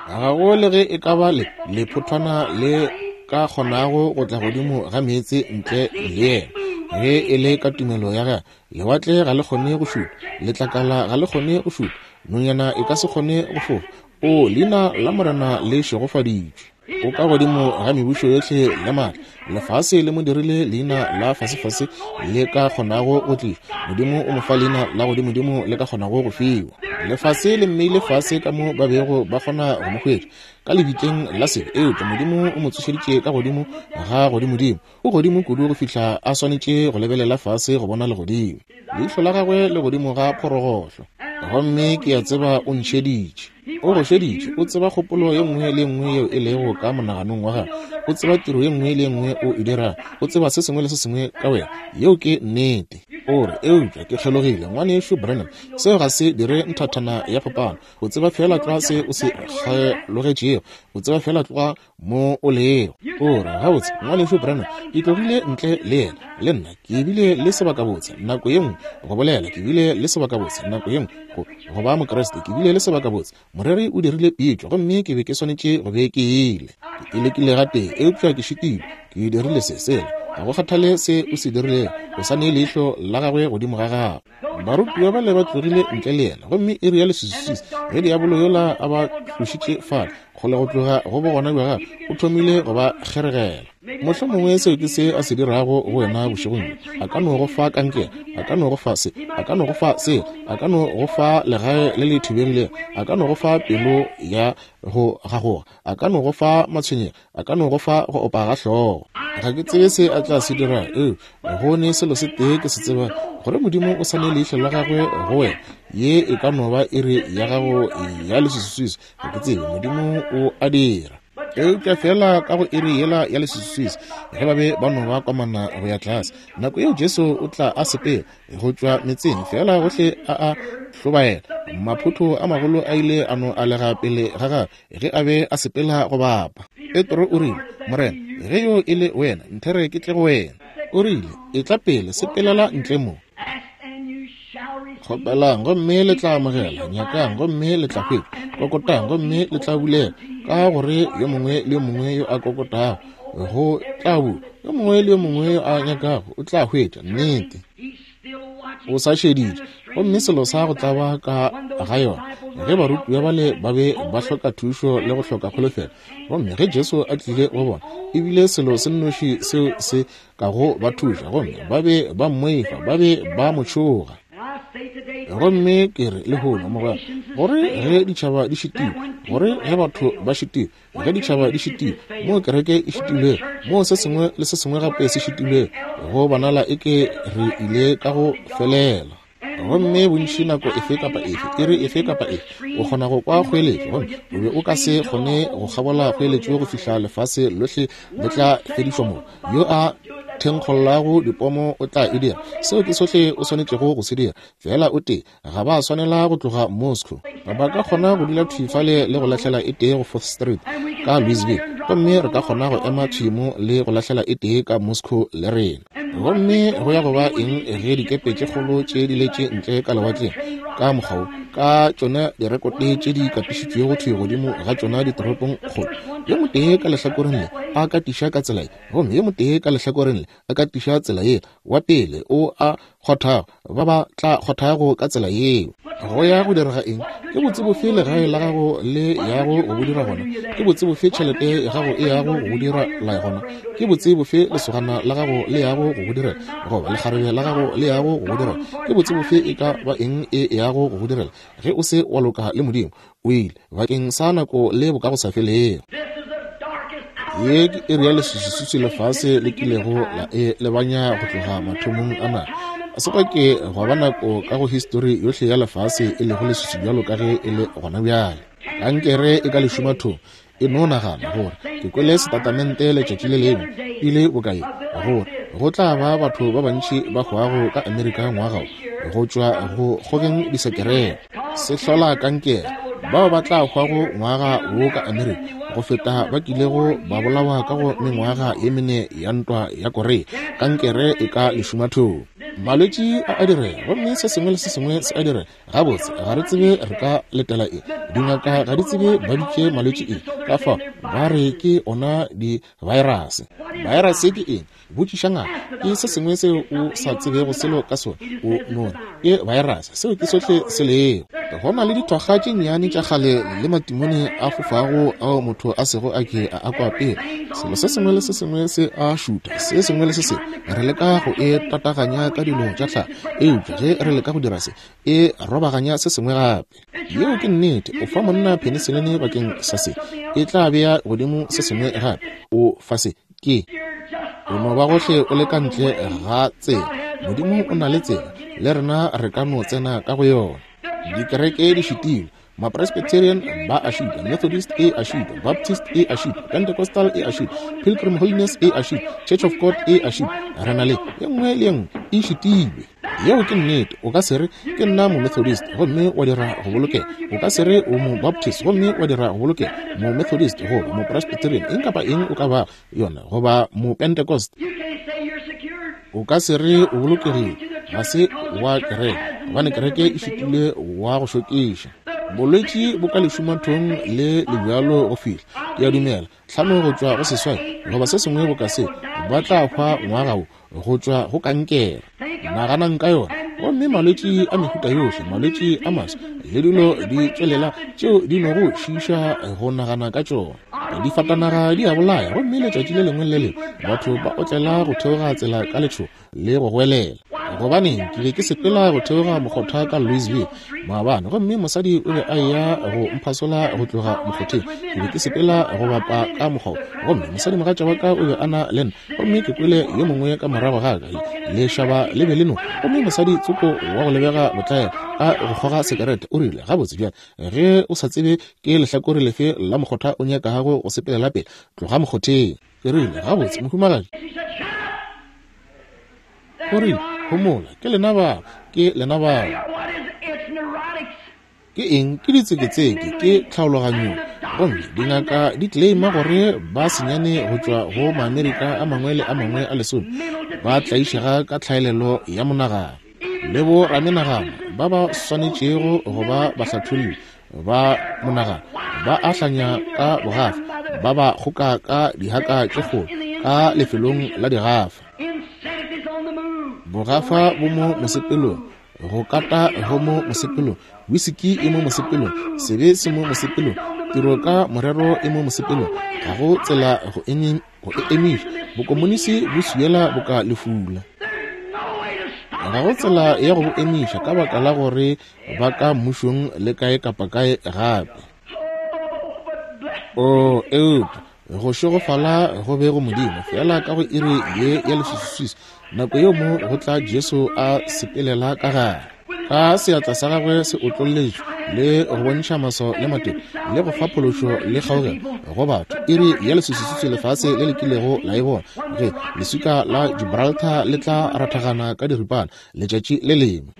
Ga go le ge e ka ba le lephothwana le ka kgonago go tla godimo ga meetse ntle le yena. Ge e le ka tumelo ya gagwe, lewatle ga le kgone go šutha, letlakala ga le kgone go šutha, nonyana e ka se kgone go fofa. O, leina la Morena le šegofaditšwe. O ka godimo ga mebušo yohle le maatla. Lefase le mo dirile leina la fasefase le ka kgonago go tlišwa. Modimo o mo fa leina la godimodimo le ka kgonago go fiwa. Lefase le mmeile fase ka mo ba bego ba kgona go mo hwetša, ka lebitleng la sebe, eupša Modimo o mo tsošeditše ka godimo ga godimodimo. O godimo kudu go fihla a swanetše go lebelela fase go bona legodimo. Leihlo la gagwe le godimo ga phorogohlo. Gomme ke a tseba o ntšheditše. O go šeditše. O tseba kgopolo ye nngwe le ye nngwe yeo e lego ka monaganong wa gago. O tseba tiro ye nngwe le ye nngwe o e dirago. O tseba se sengwe le se sengwe ka wena. Yeo ke nnete. O re, Eupša ke kgelogile, Ngwanešu Branham. Seo ga se dire nthathana ya phapano. O tseba feela tlwa se o se kgelogetšego. O tseba feela tlwa mo o lego. O re, Gabotse, Ngwanešu Branham, ke tlogile ntle le yena, le nna. Ke bile le sebakabotse nako ye nngwe go bolela. Ke bile le sebakabotse nako ye nngwe go, go ba Mokriste. Ke bile le sebakabotse. Moreri o dirile pitšo, gomme ke be ke swanetše go be ke ile. Ke lekile gatee, eupša ke šitilwe. Ke dirile se, sela. Ga go kgathale se o se dirilego, o sa ne leihlo la gagwe godimo ga gago. Barutiwa bale ba tlogile ntle le yena, gomme iri ya leswiswiswi ge diabolo yola a ba tlošitše fale kgole go tloga go bogona bja gagwe, o thomile go ba kgeregela. Mohlomongwe seo ke se a se dirago go wena bošegong bjo. A ka no go fa kankere, a ka no go fa se, a ka no go fa sela, a ka no go fa legae le le thubegilego, a ka no go fa pelo ya go gagoga, a ka no go fa matshwenyego, a ka no go fa go opa ga hlogo. Ga ke tsebe se a tla se dira, eupša go ne selo se tee ke se tseba, gore Modimo o sa ne leihlo la gagwe go wena. Ye e ka no ba iri ya gago ya leswiswiswi, ga ke tsebe. Modimo o a dira. Eupša feela ka go iri yela ya leswiswiswi, ge ba be ba no ba komana go ya tlase, nako yeo Jesu o tla a sepela go tšwa metseng, feela gohle a a hlobaela. Maphotho a magolo a ile a no alega pele ga gagwe ge a be a sepela go bapa. Petro o rile, Morena, ge yo e le wena, nthere ke tle go wena. O rile, Etla pele, sepelela ntle mo. Kgopelang gomme le tla amogela, nyakang gomme le tla hwetša, kokotang gomme le tla bulela, ka gore yo mongwe le yo mongwe yo a kokotago go tla bulwa, yo mongwe le yo mongwe yo a nyakago o tla hwetša. Nnete. O sa šeditše. Gomme selo sa go tlaba ka ga yona, ge barutiwa bale ba be ba hloka thušo le go hloka kholofelo, gomme ge Jesu a tlile go bona, e bile selo se nnoši seo se kago ba thuša, gomme ba be ba mmoifa, ba be ba mo tšhoga. Gomme ke re lehono, mogwera, gore ge ditšhaba di šitilwe, gore ge batho ba šitilwe, Ge ditšhaba di šitilwe, moo kereke e šitilwego, moo se sengwe le se sengwe gape se šitilwego, go bonala eke re ile ka go felela. Gomme bontši nako efe kapa efe, iri efe kapa efe, o kgona go kwa kgoeletšo, gomme o be o ka se kgone go kgabola kgoeletšo go fihla lefase lohle le tla fedišwa moo. Yo a thenkgollago dipomo o tla e dira. Seo ke sohle o swanetšego go se dira. Feela o tee, Ga ba swanela go tloga Moscow. Ba ka kgona go dula thwi fale le go lahlela e tee go Fourth Street ka Louisville, gomme re ka kgona go ema thwi mo le go lahlela e tee ka Moscow le rena. Gomme go ya go ba eng ge dikepe tše kgolo tše di letše ntle ka lewatleng ka mokgwa wo, ka tšona direkote tše di katišitšwego thwi godimo ga tšona ditoropong kgolo, yo motee ka lehlakoreng le a katiša ka tsela ye, gomme yo motee ka lehlakoreng le a katiša tsela yela, wa pele o a kgothago, ba ba tla kgothago ka tsela yeo. Go ya go direga eng? Ke botse bofe legae la gago le yago go bo dira gona? Ke botse bofe tšhelete ya gago e yago go bo dira la gona? Ke botse bofe lesogana la gago le yago go bo direla, goba lekgarebe la gago le yago go bo direla? Ke botse bofe e ka ba eng e yago go bo direla ge o se wa loka le Modimo? O ile bakeng sa nako le bokagosafelego. Ye ke iri ya leswiswiswi lefase le kilego la e lebanya go tloga mathomong a naga. Ga se gwa ke gwa ba nako ka go histori yohle ya lefase e lego leswiswi bjalo ka ge e le gona bjale. Kankere e ka lešumathong. E no nagana gore ke kwele setatamente letšatši le lengwe pele bokae gore go tla ba batho ba bantši ba hwago ka Amerika ngwaga wo go tšwa go kgogeng disekerete. Se hlola kankere. Bao ba tla hwago ngwaga wo ka Amerika go feta ba kilego ba bolawa ka go mengwaga ye mene ya ntwa ya Korea. Kankere e ka lešumathong. Malwetši a a direga gomme se sengwe le se sengwe se a direga. Gabotse, ga re tsebe re ka letela eng. Dingaka ga di tsebe ba bitše malwetši eng, ka fao ba re ke ona di-virus. Virus ke eng? Botšiša ngaka. Ke se sengwe seo o sa tsebego selo ka sona. O no re ke virus, seo ke sohle se lego. Go na le dithokga tše nnyane tša kgale le matimone a fofago ao motho a sego a ke a a kwa pele. Selo se sengwe le se sengwe se a šutha, se sengwe le se sengwe. Re leka go e tataganya ka dilo tša tlhago, eupša ge re leka go dira se, e robaganya se sengwe gape. Yeo ke nnete. O fa monna peniselene bakeng sa se, e tla bea godimo se sengwe gape. O fa se, ke o no ba gohle o le ka ntle ga tsela. Modimo o na le tsela, le rena re ka no tsena ka go yona. Dikereke di šitilwe. Mapresbyterian ba a šitwa, Methodist e a šitwa, Baptist e a šitwa, Pentecostal e a šitwa, Pilgrim Holiness e a šitwa, Church of God e a šitwa. Re na le ye nngwe le ye nngwe e šitilwe. Yeo ke nnete. O ka se re, Ke nna Momethodist, gomme wa dira go bolokega. O ka se re o Mobaptist, gomme wa dira go bolokega. Momethodist goba Mopresbyterian, eng kapa eng o ka bago yona, goba Mopentecost. O ka se re o bolokegile, ga se wa kereke, gobane kereke e šitile wa go šokiša. Bolwetši bo ka lešumathong le le bjalo go fihla. Ke a dumela, 5 go tšwa go 8, goba se sengwe boka se, ba tla hwa ngwaga wo, go tšwa go kankere. Naganang ka yona. Gomme malwetši a mehuta yohle, malwetši a maswa, le dilo di tšwelela tšeo di nogo šiiša go nagana ka tšona. Difatanaga di a bolaya, gomme letšatši le lengwe le le lengwe batho ba otlela go theoga tsela ka letšhogo le go goelela. Gobaneng, ke be ke sepela go theoga mokgotha ka Louisville maabane, gomme mosadi o be a eya go mphasola go tloga mokgotheng. Ke be ke sepela go bapa ka mokgwa, gomme mosadimogatša wa ka o be a na le nna, gomme ke kwele yo mongwe ka morago ga ka, lešaba le be le no, gomme mosadi tsoko wa go lebega botlaela a go kgoga sekerete, o rile, Gabotse bjale, ge o sa tsebe ke lehlakore lefe la mokgotha o nyakago go sepelela pele, tloga mokgotheng. Ke rile, Gabotse, mohumagadi. O rile, Homola, ke lena bao, ke lena bao. Ke eng? Ke ditseketseke, ke tlhaologanyo. Gomme dingaka di claima gore ba senyane go tšwa go Maamerika a mangwe le a mangwe a lesome ba tlaišega ka tlhaelelo ya monagano. Le bo ramenagano ba ba swanetšego go ba bahlatholli ba monagano ba a hlanya ka bogafa, ba ba kgoka ka dihaka tše kgolo ka lefelong la digafa. Bogafa bo mo mosepelong, go kata go mo mosepelong, wisiki e mo mosepelong, sebe se mo mosepelong, tiro ka morero e mo mosepelong. Ga go tsela go e emiša. Bokomonisi bo swiela boka lefula. Ga go tsela ya go bo emiša ka baka la gore ba ka mmušong le kae kapa kae gape. O eupša go šegofala go be go Modimo fela ka go iri ye ya leswiswiswi, nako yeo mo go tla Jesu a sepelela ka gare, ka seatla sa gagwe se otlolletšwe le go bontšha maswao le matete le go fa phološo le kgaogelo go batho. Iri ya leswiswiswi lefase le le kilego la e bona, ge leswika la Gibraltar le tla rathagana ka diripana letšatši le lengwe.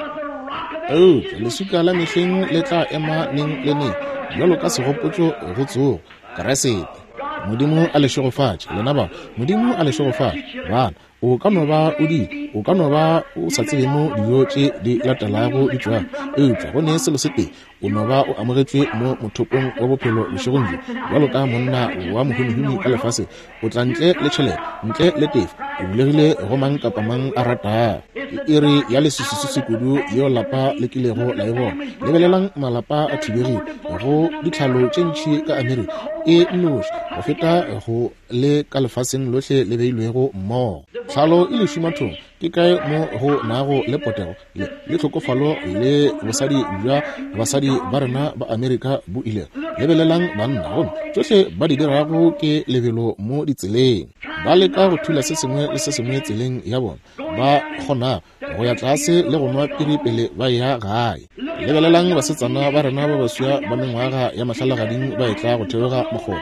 Eupša leswika la mehleng le tla ema neng le neng bjalo ka segopotšo go tsogo Keresete. Modimo a le šegofatše lena ba. Modimo a le šegofatše bana. O ka no ba o di, o ka no ba o sa tsebe mo dijo tše di latelago di tšwago, eupša go ne selo se tee, o no ba o amogetšwe mo mothopong wa bophelo bošegong bjo, bjalo ka monna wa mohumihumi ka lefaseng. O tla ntle le tšhelete, ntle le tefo, o bulegile go mang kapa mang a ratago. Ke iri ya leswiswiswi kudu yeo lapa le kilego la e bona. Lebelelang malapa a thibegile go ditlhalo tše ntši ka Amerika e nnoši go feta go le ka lefaseng lohle le beilwego mmogo. Tlhalo e lešumathong, ke kae mo go nago le potego le le tlhokofalo le bosadi bja basadi ba rena ba Amerika bo ilego? Lebelelang banna, gomme tšohle ba di dirago ke lebelo mo ditseleng. Ba leka go thula se sengwe le se sengwe tseleng ya bona ba kgonago, go ya tlase le go nwa piri pele ba eya gae. Lebelelang basetsana ba rena ba baswa ba mengwaga ya mahlalagading ba etla go theoga mokgoba,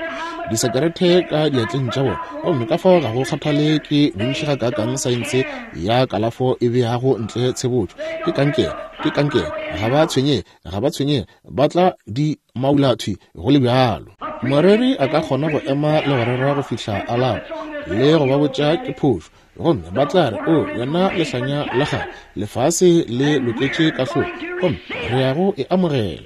disekerete ka diatleng tša bona, gomme ka fao ga go kgathale ke bontši gakaakang saense ya kalafo e beago ntle tshebotšo, ke kankere, ke kankere, ga ba tshwenyege, ga ba tshwenyege, ba tla di maula thwi go le bjalo. Moreri a ka kgona go ema le go rera go fihla a lapa le go ba botša ke phošo, gomme ba tla re, O wena lehlanya la gago, lefase le loketše kahlolo, gomme re ya go e amogela.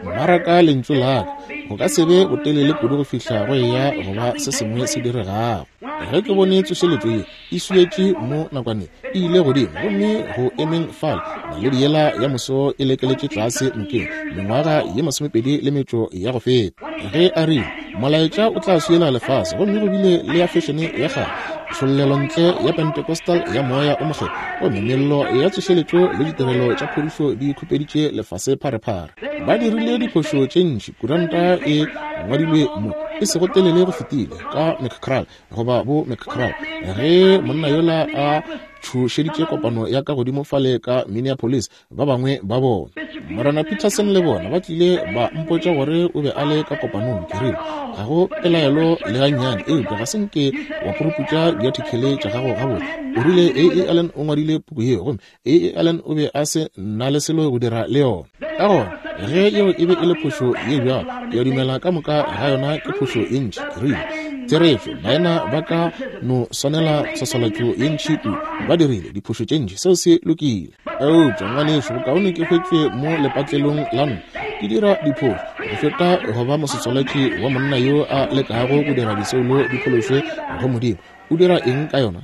Maraka lentšu la ka, go ka se be botelele kudu go fihla go eya go ba se sengwe se diregago. Ge ke bone tsošeletšo ye e swietše mo nakwaneng, e ile godimo, gomme go emeng fale naledi yela ya moso e lekeletše tlase nokeng mengwaga ye 28 ya go feta, ge a rile molaetša o tla swiela lefase, gomme go bile le ya fešene ya kgale, tšhollelo ntle ya Pentecostal ya Moya o Mokgethwa, gomme mello ya tsošeletšo le ditirelo tša phodišo di khupeditše lefase pharephare. Ba dirile diphošo tše ntši. Kuranta e ngwadilwe mo e sego telele go fetile ka McCrae goba bo McCrae, ge monna yola a tšhošeditše kopano ya ka godimo fale ka Minneapolis, ba bangwe ba bona, Morena Peterson le bona, ba tlile ba mpotša gore o be a le ka kopanong. Ke rile, ga go pelaelo le gannyane, eupša ga se nke wa puruputša diathikele tša gago gabotse. O rile A. A. Allen o ngwadile puku yeo, gomme A. A. Allen o be a se na le selo go dira le yona. Ka gona ge yeo e be e le phošo ye bjalo, ke a dumela ka moka ga yona ke phošo ye ntši. Ke rile, Therešo, baena ba ka no swanela tshwaswalatšo ye ntši kudu, ba dirile diphošo tše ntši, seo se lokile. Eupša, ngwanešu, bokaone ke hwetšwe mo lepatlelong la nna ke dira diphošo go feta go ba mosetswalatši wa monna yo a lekago go dira disoulo di phološwe go Modimo. O dira eng ka yona?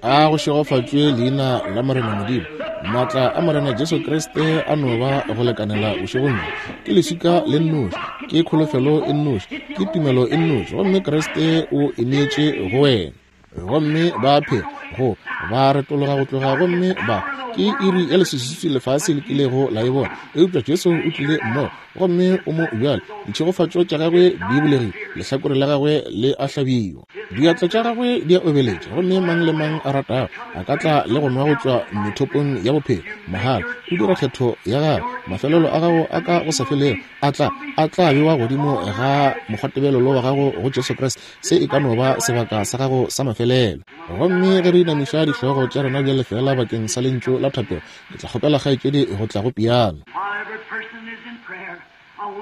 A go šegofatšwe leina la Morena Modimo. Maatla a Morena Jesu Kriste a no ba go lekanela bošegong bjo. Ke leswika le nnoši, ke kholofelo e nnoši, ke tumelo e nnoši, gomme Kriste o e neetše go wena. Gomme ba phela go ba retologa go tloga gomme ba ke iri ya leswiswi lefase le kilego la e bona. Eupša Jesu o tlile mmogo gomme o mo bjale. Ditšhegofatšo tša gagwe di bulegile, lehlakore la gagwe le a hlabiwa, diatla tša gagwe di a obeletša, gomme mang le mang a ratago a ka tla le go nwa go tšwa methopong ya bophelo mahala. O dira kgetho ya gago, mafelelo a gago a ka go sa felego a tla a tla bewa godimo ga mokgwatebelelo wa gago go Jesu Kriste. Se e ka no ba sebaka sa gago sa mafelelo. Gomme ge re inamiša dihlogo tša rena bjale feela bakeng sa lentšu la thapelo, ke tla kgopela kgaetšedi go tla go piano.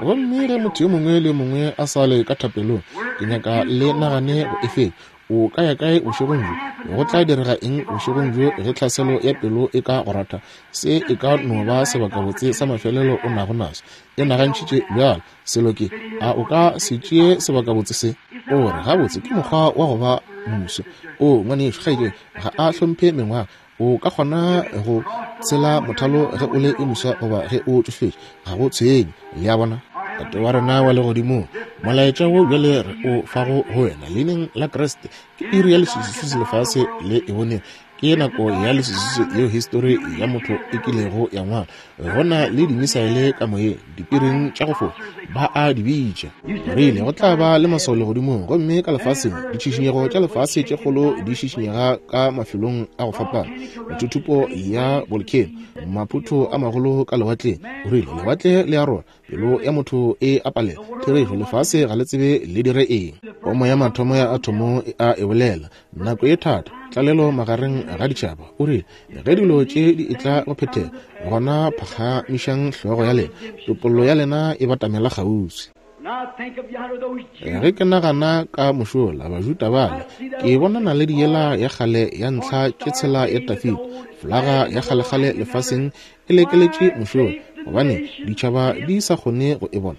Gomme ge motho yo mongwe le yo mongwe a sa le ka thapelong, ke nyaka le nagane go e fetša. O ka ya kae bošegong bjo? Go tla direga eng bošegong bjo ge tlhaselo ya pelo e ka go ratha? Se e ka no ba sebakabotse sa mafelelo o nago naso. E nagantšhitše bjalo. Selo ke, a o ka se tšee sebakabotse se? O re, gabotse, ke mokgwa wa go ba moswa. O, ngwanešu, kgaetšedi, ga a hlomphe mengwaga. O ka kgona go tshela mothalo ge o le yo moswa goba ge o tšofetše, ga go tshwenye. Le a bona? Tate wa rena wa Legodimong, molaetša wo bjale re o fago go wena leineng la Kriste, ke iri ya leswiswi lefase le e bonego. Ke nako ya leswiswi yeo histori ya motho e kilego ya ngwala. Go na le dimisaele ka moyeng, dipiring tša go fofa, ba a di bitša. Rile go tla ba le maswao legodimong, gomme ka lefaseng ditšhišinyego tša lefase tše kgolo di šišinyega ka mafelong a go fapana, methuthupo ya bolkheno, maphutho a magolo ka lewatleng. O rile lewatle le a rora, pelo ya motho e a palela. Therešo, lefase ga le tsebe le dire eng. Pomo ya mathomo ya athomo e a e bolela. Nako e thata, tlalelo magareng ga ditšhaba. O rile, ge dilo tše di etla go phethega, gona phagamišang hlogo ya lena, topollo ya lena e batamela kgauswi. Ge ke nagana ka mošola Bajuda bale, ke bona naledi yela ya kgale ya ntlha tše tshela ya Dafida, folaga ya kgalekgale lefaseng e lekeletše mošola, gobane ditšhaba di sa kgone go e bona.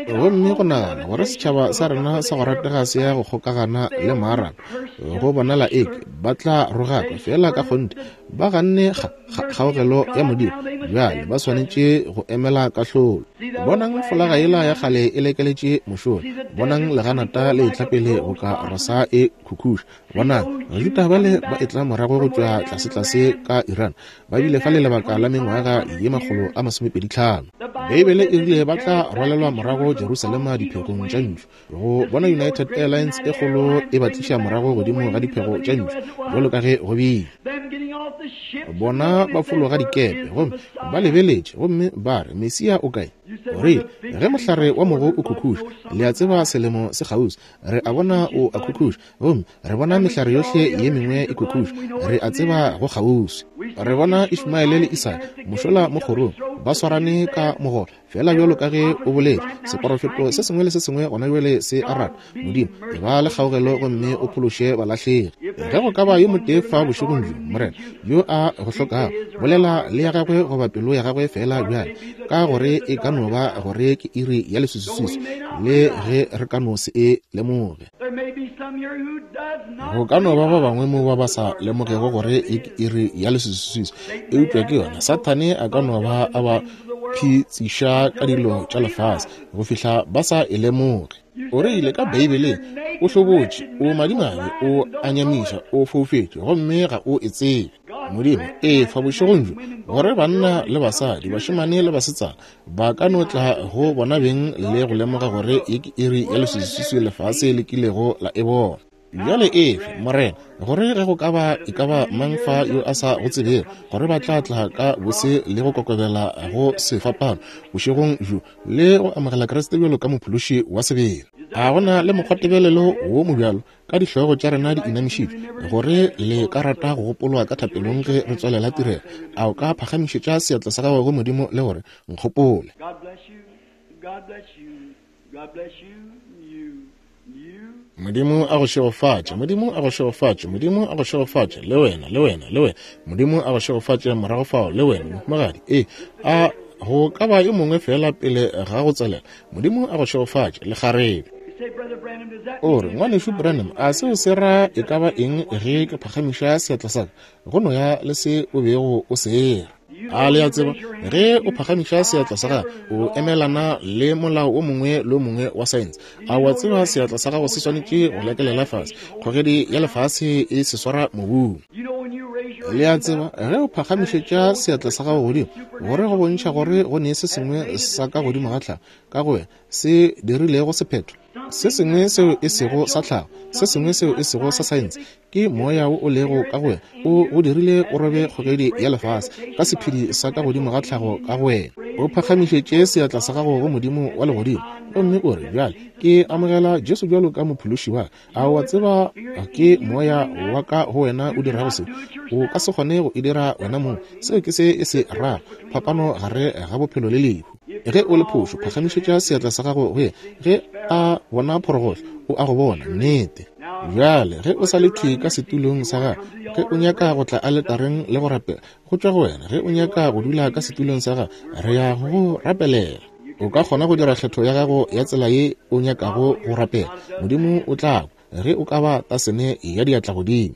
Gomme go nagana gore setšhaba sa rena sa go ratega se ya go kgokagana le Maarab, go bonala eke ba tla rogakwa, feela ka kgonthe ba ganne kgaogelo ya Modimo, bjale ba swanetše go emela kahlolo. Bonang folaga yela ya kgale e lekeletše mošola, bonang leganata le etla pele boka rosa e khukhuša, bonang Bajuda bale ba etla morago go tšwa tlasetlase ka Iran, ba bile fale lebaka la mengwaga ye 225. Beibele e rile ba tla rwalelwa morago Jerusalema diphegong tša ntšu. Go bona United Airlines e kgolo e ba tliša morago godimo ga diphego tša ntšu, bjalo ka ge go bile. Bona ba fologa dikepe gomme ba lebeletše gomme ba re, Mesia o kae? O rile, Ge mohlare wa mogo o khukhuša, le a tseba selemo se kgauswi. Re a bona o a khukhuša, gomme re bona mehlare yohle ye mengwe e khukhuša. Re a tseba go kgauswi. Re bona Ishmaele le Isaka mošola mo kgorong, ba swarane ka mogolo, feela bjalo ka ge o boletše. Seporofeto se sengwe le se sengwe gona bjale se a rata. Modimo, e ba le kgaogelo gomme o phološe balahlegi. Ge go ka ba yo motee fa bošegong bjo, Morena, yo a go hlokago, bolela le ya gagwe goba pelo ya gagwe feela bjale, ka gore e ka no ba gore ke iri ya leswiswiswi, le ge re ka no se e lemoge. Go ka no ba ba bangwe mo ba ba sa lemogego gore e ke iri ya leswiswiswi, eupša ke yona. Sathane a ka no ba a ba phitsiša ka dilo tša lefase go fihla ba sa e lemoge. O rile ka Beibeleng, O hlobotše, o madimabe, o a nyamiša, o foufetše, gomme ga o e tsebe. Modimo, efa bošegong bjo gore banna le basadi, bašemane le basetsana ba ka no tla go bona beng le go lemoga gore ye ke iri ya leswiswiswi lefase le kilego la e bona. Bjale efe, Morena, gore ge go ka ba e ka ba mang fa yo a sa go tsebego, gore ba tla tla ka bose le go kokobela go sefapano bošegong bjo le go amogela Kriste bjalo ka Mophološi wa sebele. A go na le mokgwatebelelo wo mobjalo ka dihlogo tša rena di inamišitšwe, gore le ka rata go gopolwa ka thapelong ge re tswalela tirelo? A o ka phagamišetša seatla sa gago go Modimo le gore, Nkgopole.
God bless you. God bless you. You. You.
Modimo a go šegofatše. Modimo a go šegofatše. Modimo a go šegofatše. Le wena, le wena, le wena. Modimo a go šegofatše morago fao, le wena, mohumagadi. Ee, a Go ka ba yo mongwe feela pele ga go tswalela. Modimo a go šegofatše, lekgarebe. O re, Ngwanešu Branham, a seo se ra e ka ba eng ge ke phagamiša seatla sa ka? Go no ya le se o bego o se era. A le a tseba, ge o phagamiša seatla sa gago, o emelana le molao o mongwe le o mongwe wa saense. A wa tseba seatla sa gago se swanetše go lekelela fase? Kgogedi ya lefase e se swara mobung. Le a tseba, ge o phagamišetša seatla sa gago godimo, gore go bontšha gore go ne se sengwe sa ka godimo ga tlhago ka go wena se dirilego sephetho, se sengwe seo e sego sa tlhago, se sengwe seo e sego sa saense, ke moya wo o lego ka go wena o go dirile o robe kgogedi ya lefase ka sephedi sa ka godimo ga tlhago ka go wena. O phagamišetše seatla sa gago go Modimo wa legodimo gomme o re, Bjale ke amogela Jesu bjalo ka Mophološi wa ka. A o a tseba ke moya wa ka go wena o dirago se? O ka se kgone go e dira wena mong. Seo ke se e se rago, phapano gare ga bophelo le lehu. Ge o le phošo, phagamišetša seatla sa gago go yena. Ge a bona phorogohlo, o a go bona. Nnete. Bjale, ge o sa le thwi ka setulong sa gago, ge o nyaka go tla aletareng le go rapela, go tšwa go wena. Ge o nyaka go dula ka setulong sa gago, re ya go go rapelela. O ka kgona go dira kgetho ya gago ya tsela ye o nyakago go rapela. Modimo o tla kwa ge o ka ba tasene ya diatla godimo.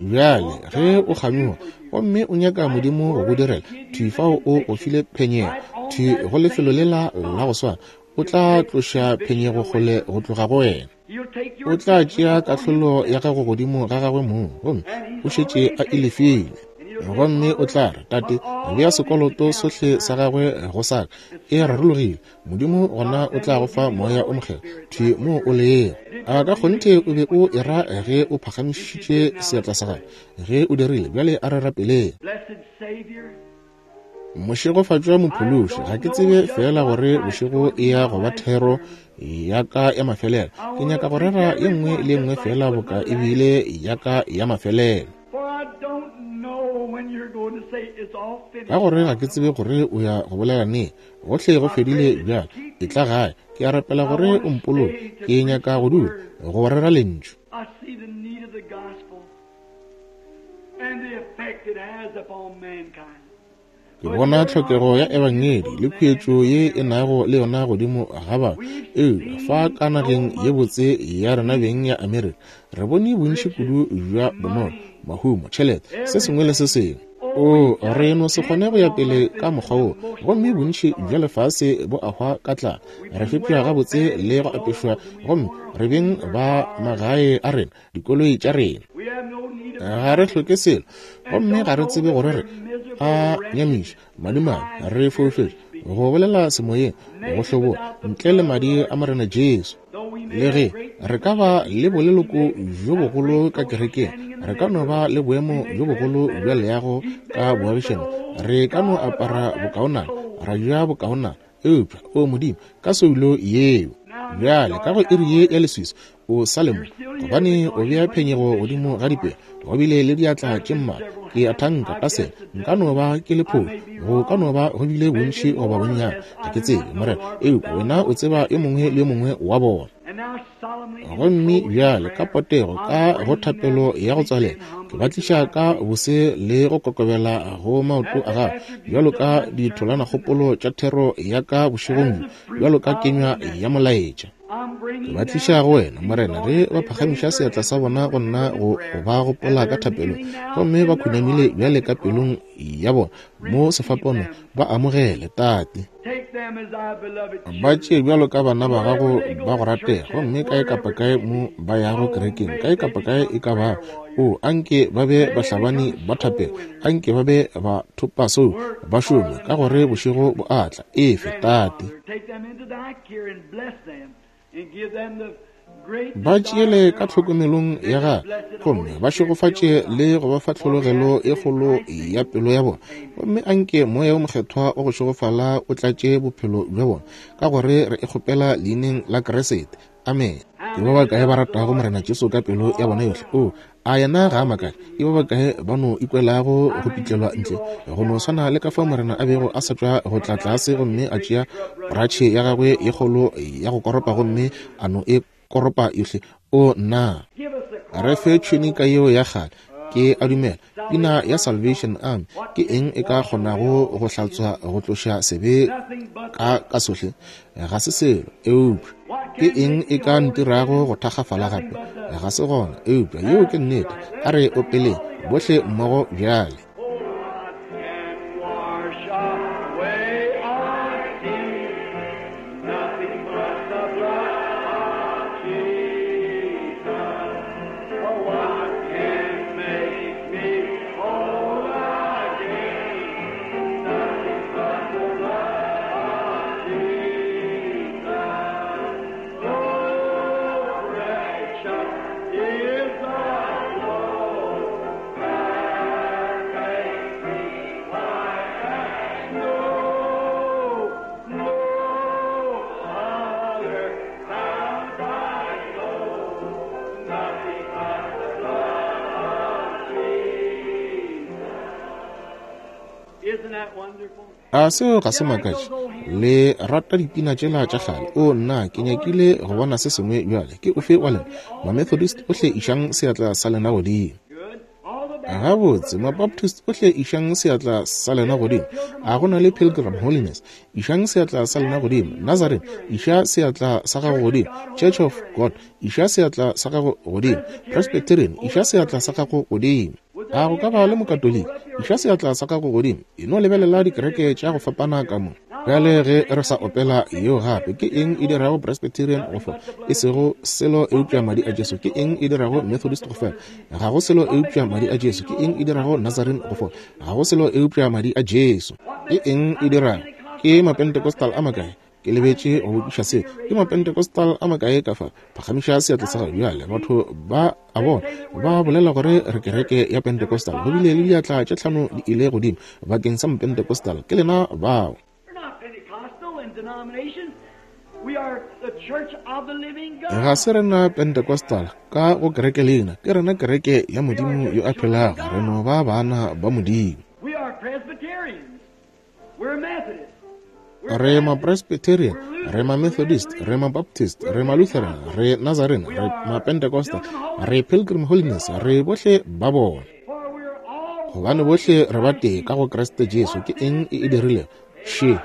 Bjale, ge o kganyoga gomme o nyaka Modimo go go direla, thwi fao o go file phenyego, thwi go lefelo lela la go swana, o tla tloša phenyego kgole go tloga go wena. O tla tšea kahlolo ya gago godimo ga gagwe mong, gomme o šetše a e lefile. Gomme o tla re, Tate, bea sekoloto sohle sa gagwe go sa ka. E rarologile. Modimo gona o tla go fa Moya o Mokgethwa thwi mo o lego. A ka kgonthe o be o e ra ge o phagamišitše seatla sa gago? Ge o dirile, bjale a re rapeleng. Mošegofatšwa Mophološi, ga ke tsebe feela gore bošego e ya go ba thero ya ka ya mafelelo. Ke nyaka go rera ye nngwe le ye nngwe feela boka e bile ya ka ya mafelelo. Ka gore ga ke tsebe gore o ya go bolela neng. Gohle go fedile bjale. Etla gae. Ke a rapela gore o mpoloke. Ke nyaka go dula, go rera Lentšu. Ke bona tlhokego ya Ebangedi le khuetšo ye e nago le yona godimo ga batho. Eupša fa ka nageng ye botse ya rena beng ya Amerika, re bone bontši kudu bja bonolo, mahumo, tšhelete, se sengwe le se sengwe. Oo, re no se kgone go ya pele ka mokgwa wo, gomme bontši bja lefase bo a hwa ka tlala. Re fepša gabotse le go apešwa, gomme re beng ba magae a rena, dikoloi tša rena. Ga re hloke selo, gomme ga re tsebe gore re a nyamiša, madimabe, re foufetše, go bolela semoyeng, go hlobola, ntle le madi a Morena Jesu. Le ge re ka ba le boleloko bjo bogolo ka kerekeng, re ka no ba le boemo bjo bogolo bja leago ka boagišano, re ka no apara bokaonana, ra ja bokaonana, eupša, o Modimo, ka soulo yeo bjale ka go iri ye ya leswiswi o sa le mo, gobane o bea phenyego godimo ga dipelo, go bile le diatla tše mmalwa. Ke a thanka ka sela, nka no ba ke le phošo, go ka no ba go bile bontši goba bonnyane, ga ke tsebe, Morena, eupša wena o tseba yo mongwe le yo mongwe wa bona. Gomme bjale ka potego ka go thapelo ya go tswalela, ke ba tliša ka bose le go kokobela go maoto a gago, bjalo ka ditholanakgopolo tša thero ya ka bošegong bjo, bjalo ka kenywa ya molaetša. Ke ba tliša go wena, Morena, ge ba phagamiša seatla sa bona go nna go ba gopola ka thapelong, gomme ba khunamile bjale ka pelong ya bona mo sefapanong, ba amogele, Tate. Ba tšee bjalo ka bana ba gago ba go ratega, gomme kae kapa kae mo ba yago kerekeng, kae kapa kae e ka bago, o anke ba be bahlabani ba thapelo, anke ba be ba thopa seo, ba šome, ka gore bošego bo a tla. Efe, Tate. Ba tšeele ka tlhokomelong ya gagwe, gomme ba šegofatše le go ba fa tlhologelo e kgolo ya pelo ya bona. Gomme anke Moya wo Mokgethwa wa go šegofala o tlatše bophelo bja bona, ka gore re e kgopela Leineng la Kriste. Amene. Ke ba bakae ba ratago Morena Jesu ka pelo ya bona yohle? Oo, a yena ga a makale? Ke ba bakae ba no ikwelago go pitlelwa ntle, go no swana le ka fao Morena a bego a sa tšwa go tla tlase gomme a tšea poratšhe ya gagwe ye kgolo ya go koropa gomme a no e koropa yohle? O, nna! Re fe tšhunika yeo ya kgale. Ke a dumela pina ya Salvation Army, ke eng e ka kgonago go hlatswa go tloša sebe ka ka sohle? Ga se selo, eupša ke eng e ka ntirago go thakgafala gape? Ga se gona, eupša yeo ke nnete. A re opeleng bohle mmogo bjale. A seo ga se makatše? Le rata dipina tšela tša kgale. O nna, ke nyakile go bona se sengwe bjale. Ke ofe wa lena Mamethodist ohle išang seatla sa lena godimo? Gabotse, Mabaptist ohle išang seatla sa lena godimo. A go na le Pilgrim Holiness? Išang seatla sa lena godimo. Nazarene, iša seatla sa gago godimo. Church of God, iša seatla sa gago godimo. Presbyterian, iša seatla sa gago godimo. A go ka ba le Mokatoliki? Iša seatla sa gago godimo. E no lebelela dikereke tša go fapana ka mo. Bjale ge re sa opela yeo gape, ke eng e dirago Presbyterian go fola? E sego selo eupša Madi a Jesu. Ke eng e dirago Methodist go fela? Ga go selo eupša Madi a Jesu. Ke eng e dirago Nazarene go fola? Ga go selo eupša Madi a Jesu. Ke eng e dirago? Ke Mapentecostal a makae? Ke lebetše go botšiša se. Ke Mapentecostal a makae ka fa? Phagamiša seatla sa gago bjale. Batho ba a bona ba bolela gore re kereke ya Pentecostal. Go bile le diatla tše tlhano di ile godimo bakeng sa Mapentecostal. Ke lena bao. Ga se rena Pentecostal ka go kereke leina, ke rena kereke ya Modimo yo a phelago. Re no ba bana ba Modimo. Re Mapresbyterian, re Mamethodist, re Mabaptist, re Malutheran, re Nazarene, re Mapentecostal, re Pilgrim Holiness, re bohle ba bona. Gobane bohle re ba tee ka go Kriste Jesu. Ke eng e e dirilego? Še.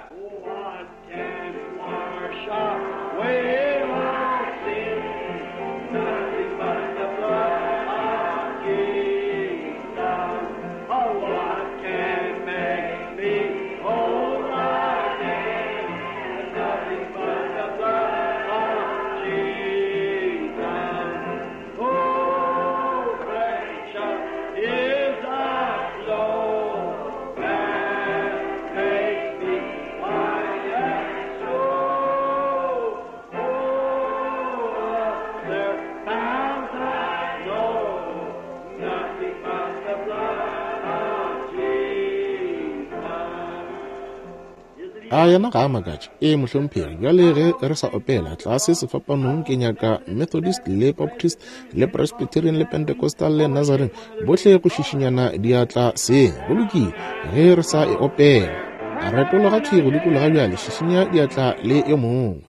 A yena ga a makatše? Ee, mohlomphegi. Bjale ge re sa opela tlase sefapanong, ke nyaka Methodist le Baptist le Presbyterian le Pentecostal le Nazarene bohle go šišinyana diatla seng. Go lokile, ge re sa e opela. Retologa thwi go dikologa bjale, šišinya diatla le yo mongwe.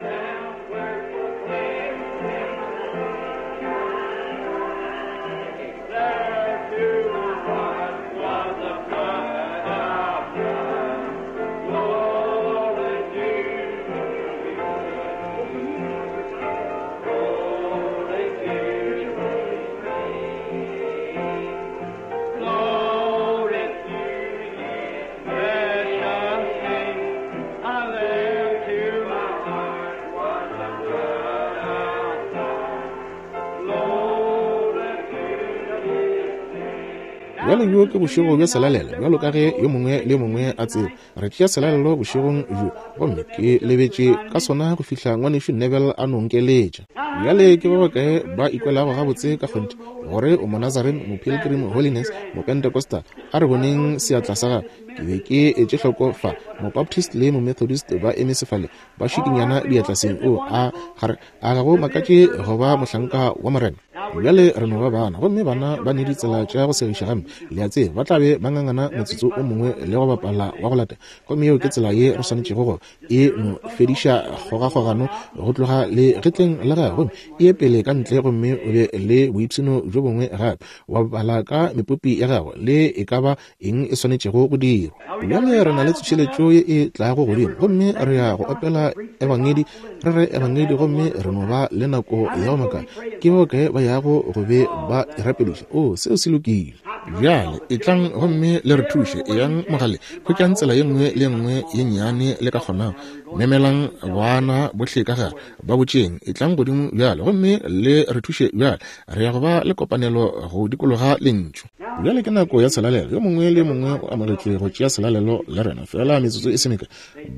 Bjale bjo ke bošego bja selalelo, bjalo ka ge yo mongwe le yo mongwe a tseba. Re tšea selalelo bošegong bjo, gomme ke lebetše ka sona go fihla Ngwanešu Neville a no nkeletša. Bjale ke ba bakae ba ikwelago gabotse ka kgonthe gore o Monazarene, Mopilgrim Holiness, Mopentecostal? A re boneng seatla sa gago. Ke be ke etše hloko fa, Mobaptist le Momethodist ba eme sefaleng, ba šikinyana diatla seng. O a, ga re, a ga go makatše go ba mohlanka wa Morena? Bjale re no ba bana, gomme bana ba ne ditsela tša go segiša gampe, le a tseba. Ba tla be ba ngangana motsotso o mongwe le go bapala wa go latela. Gomme yeo ke tsela ye re swanetšego go e no fediša kgogakgogano go tloga legetleng la gagwe, gomme e ye pele ka ntle gomme o be le boipshino bjo bongwe gape, wa bapala ka mepopi ya gagwe le e ka ba eng e swanetšego go dirwa. Bjale re na le tsošeletšo ye e tlago godimo, gomme re ya go opela Ebangedi, re re Ebangedi, gomme re no ba le nako ya go makala. Ke ba bakae ba yago go be ba e rapediša? Oo, seo se lokile. Bjale etlang gomme le re thuše. Eyang mogaleng, hwetšang tsela ye nngwe le ye nngwe ye nnyane le ka kgonago. Memelang bana bohle ka gare, ba botšeng, Etlang godimo bjale gomme le re thuše bjale. Re ya go ba le kopanelo go dikologa Lentšu. Bjale ke nako ya selalelo. Yo mongwe le yo mongwe o amogetšwe go tšea selalelo le rena. Feela metsotso e se mekae,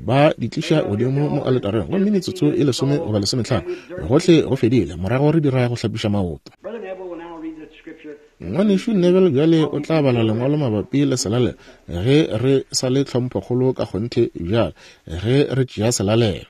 ba di tliša godimo mo aletareng, gomme metsotso e lesome goba lesometlhano, gohle go fedile. Morago re dira go hlapiša maoto. Ngwanešu Neville bjale o tla bala lengwalo mabapi le selalelo, ge re sa le tlhomphokgolo ka kgonthe bjale, ge re tšea selalelo.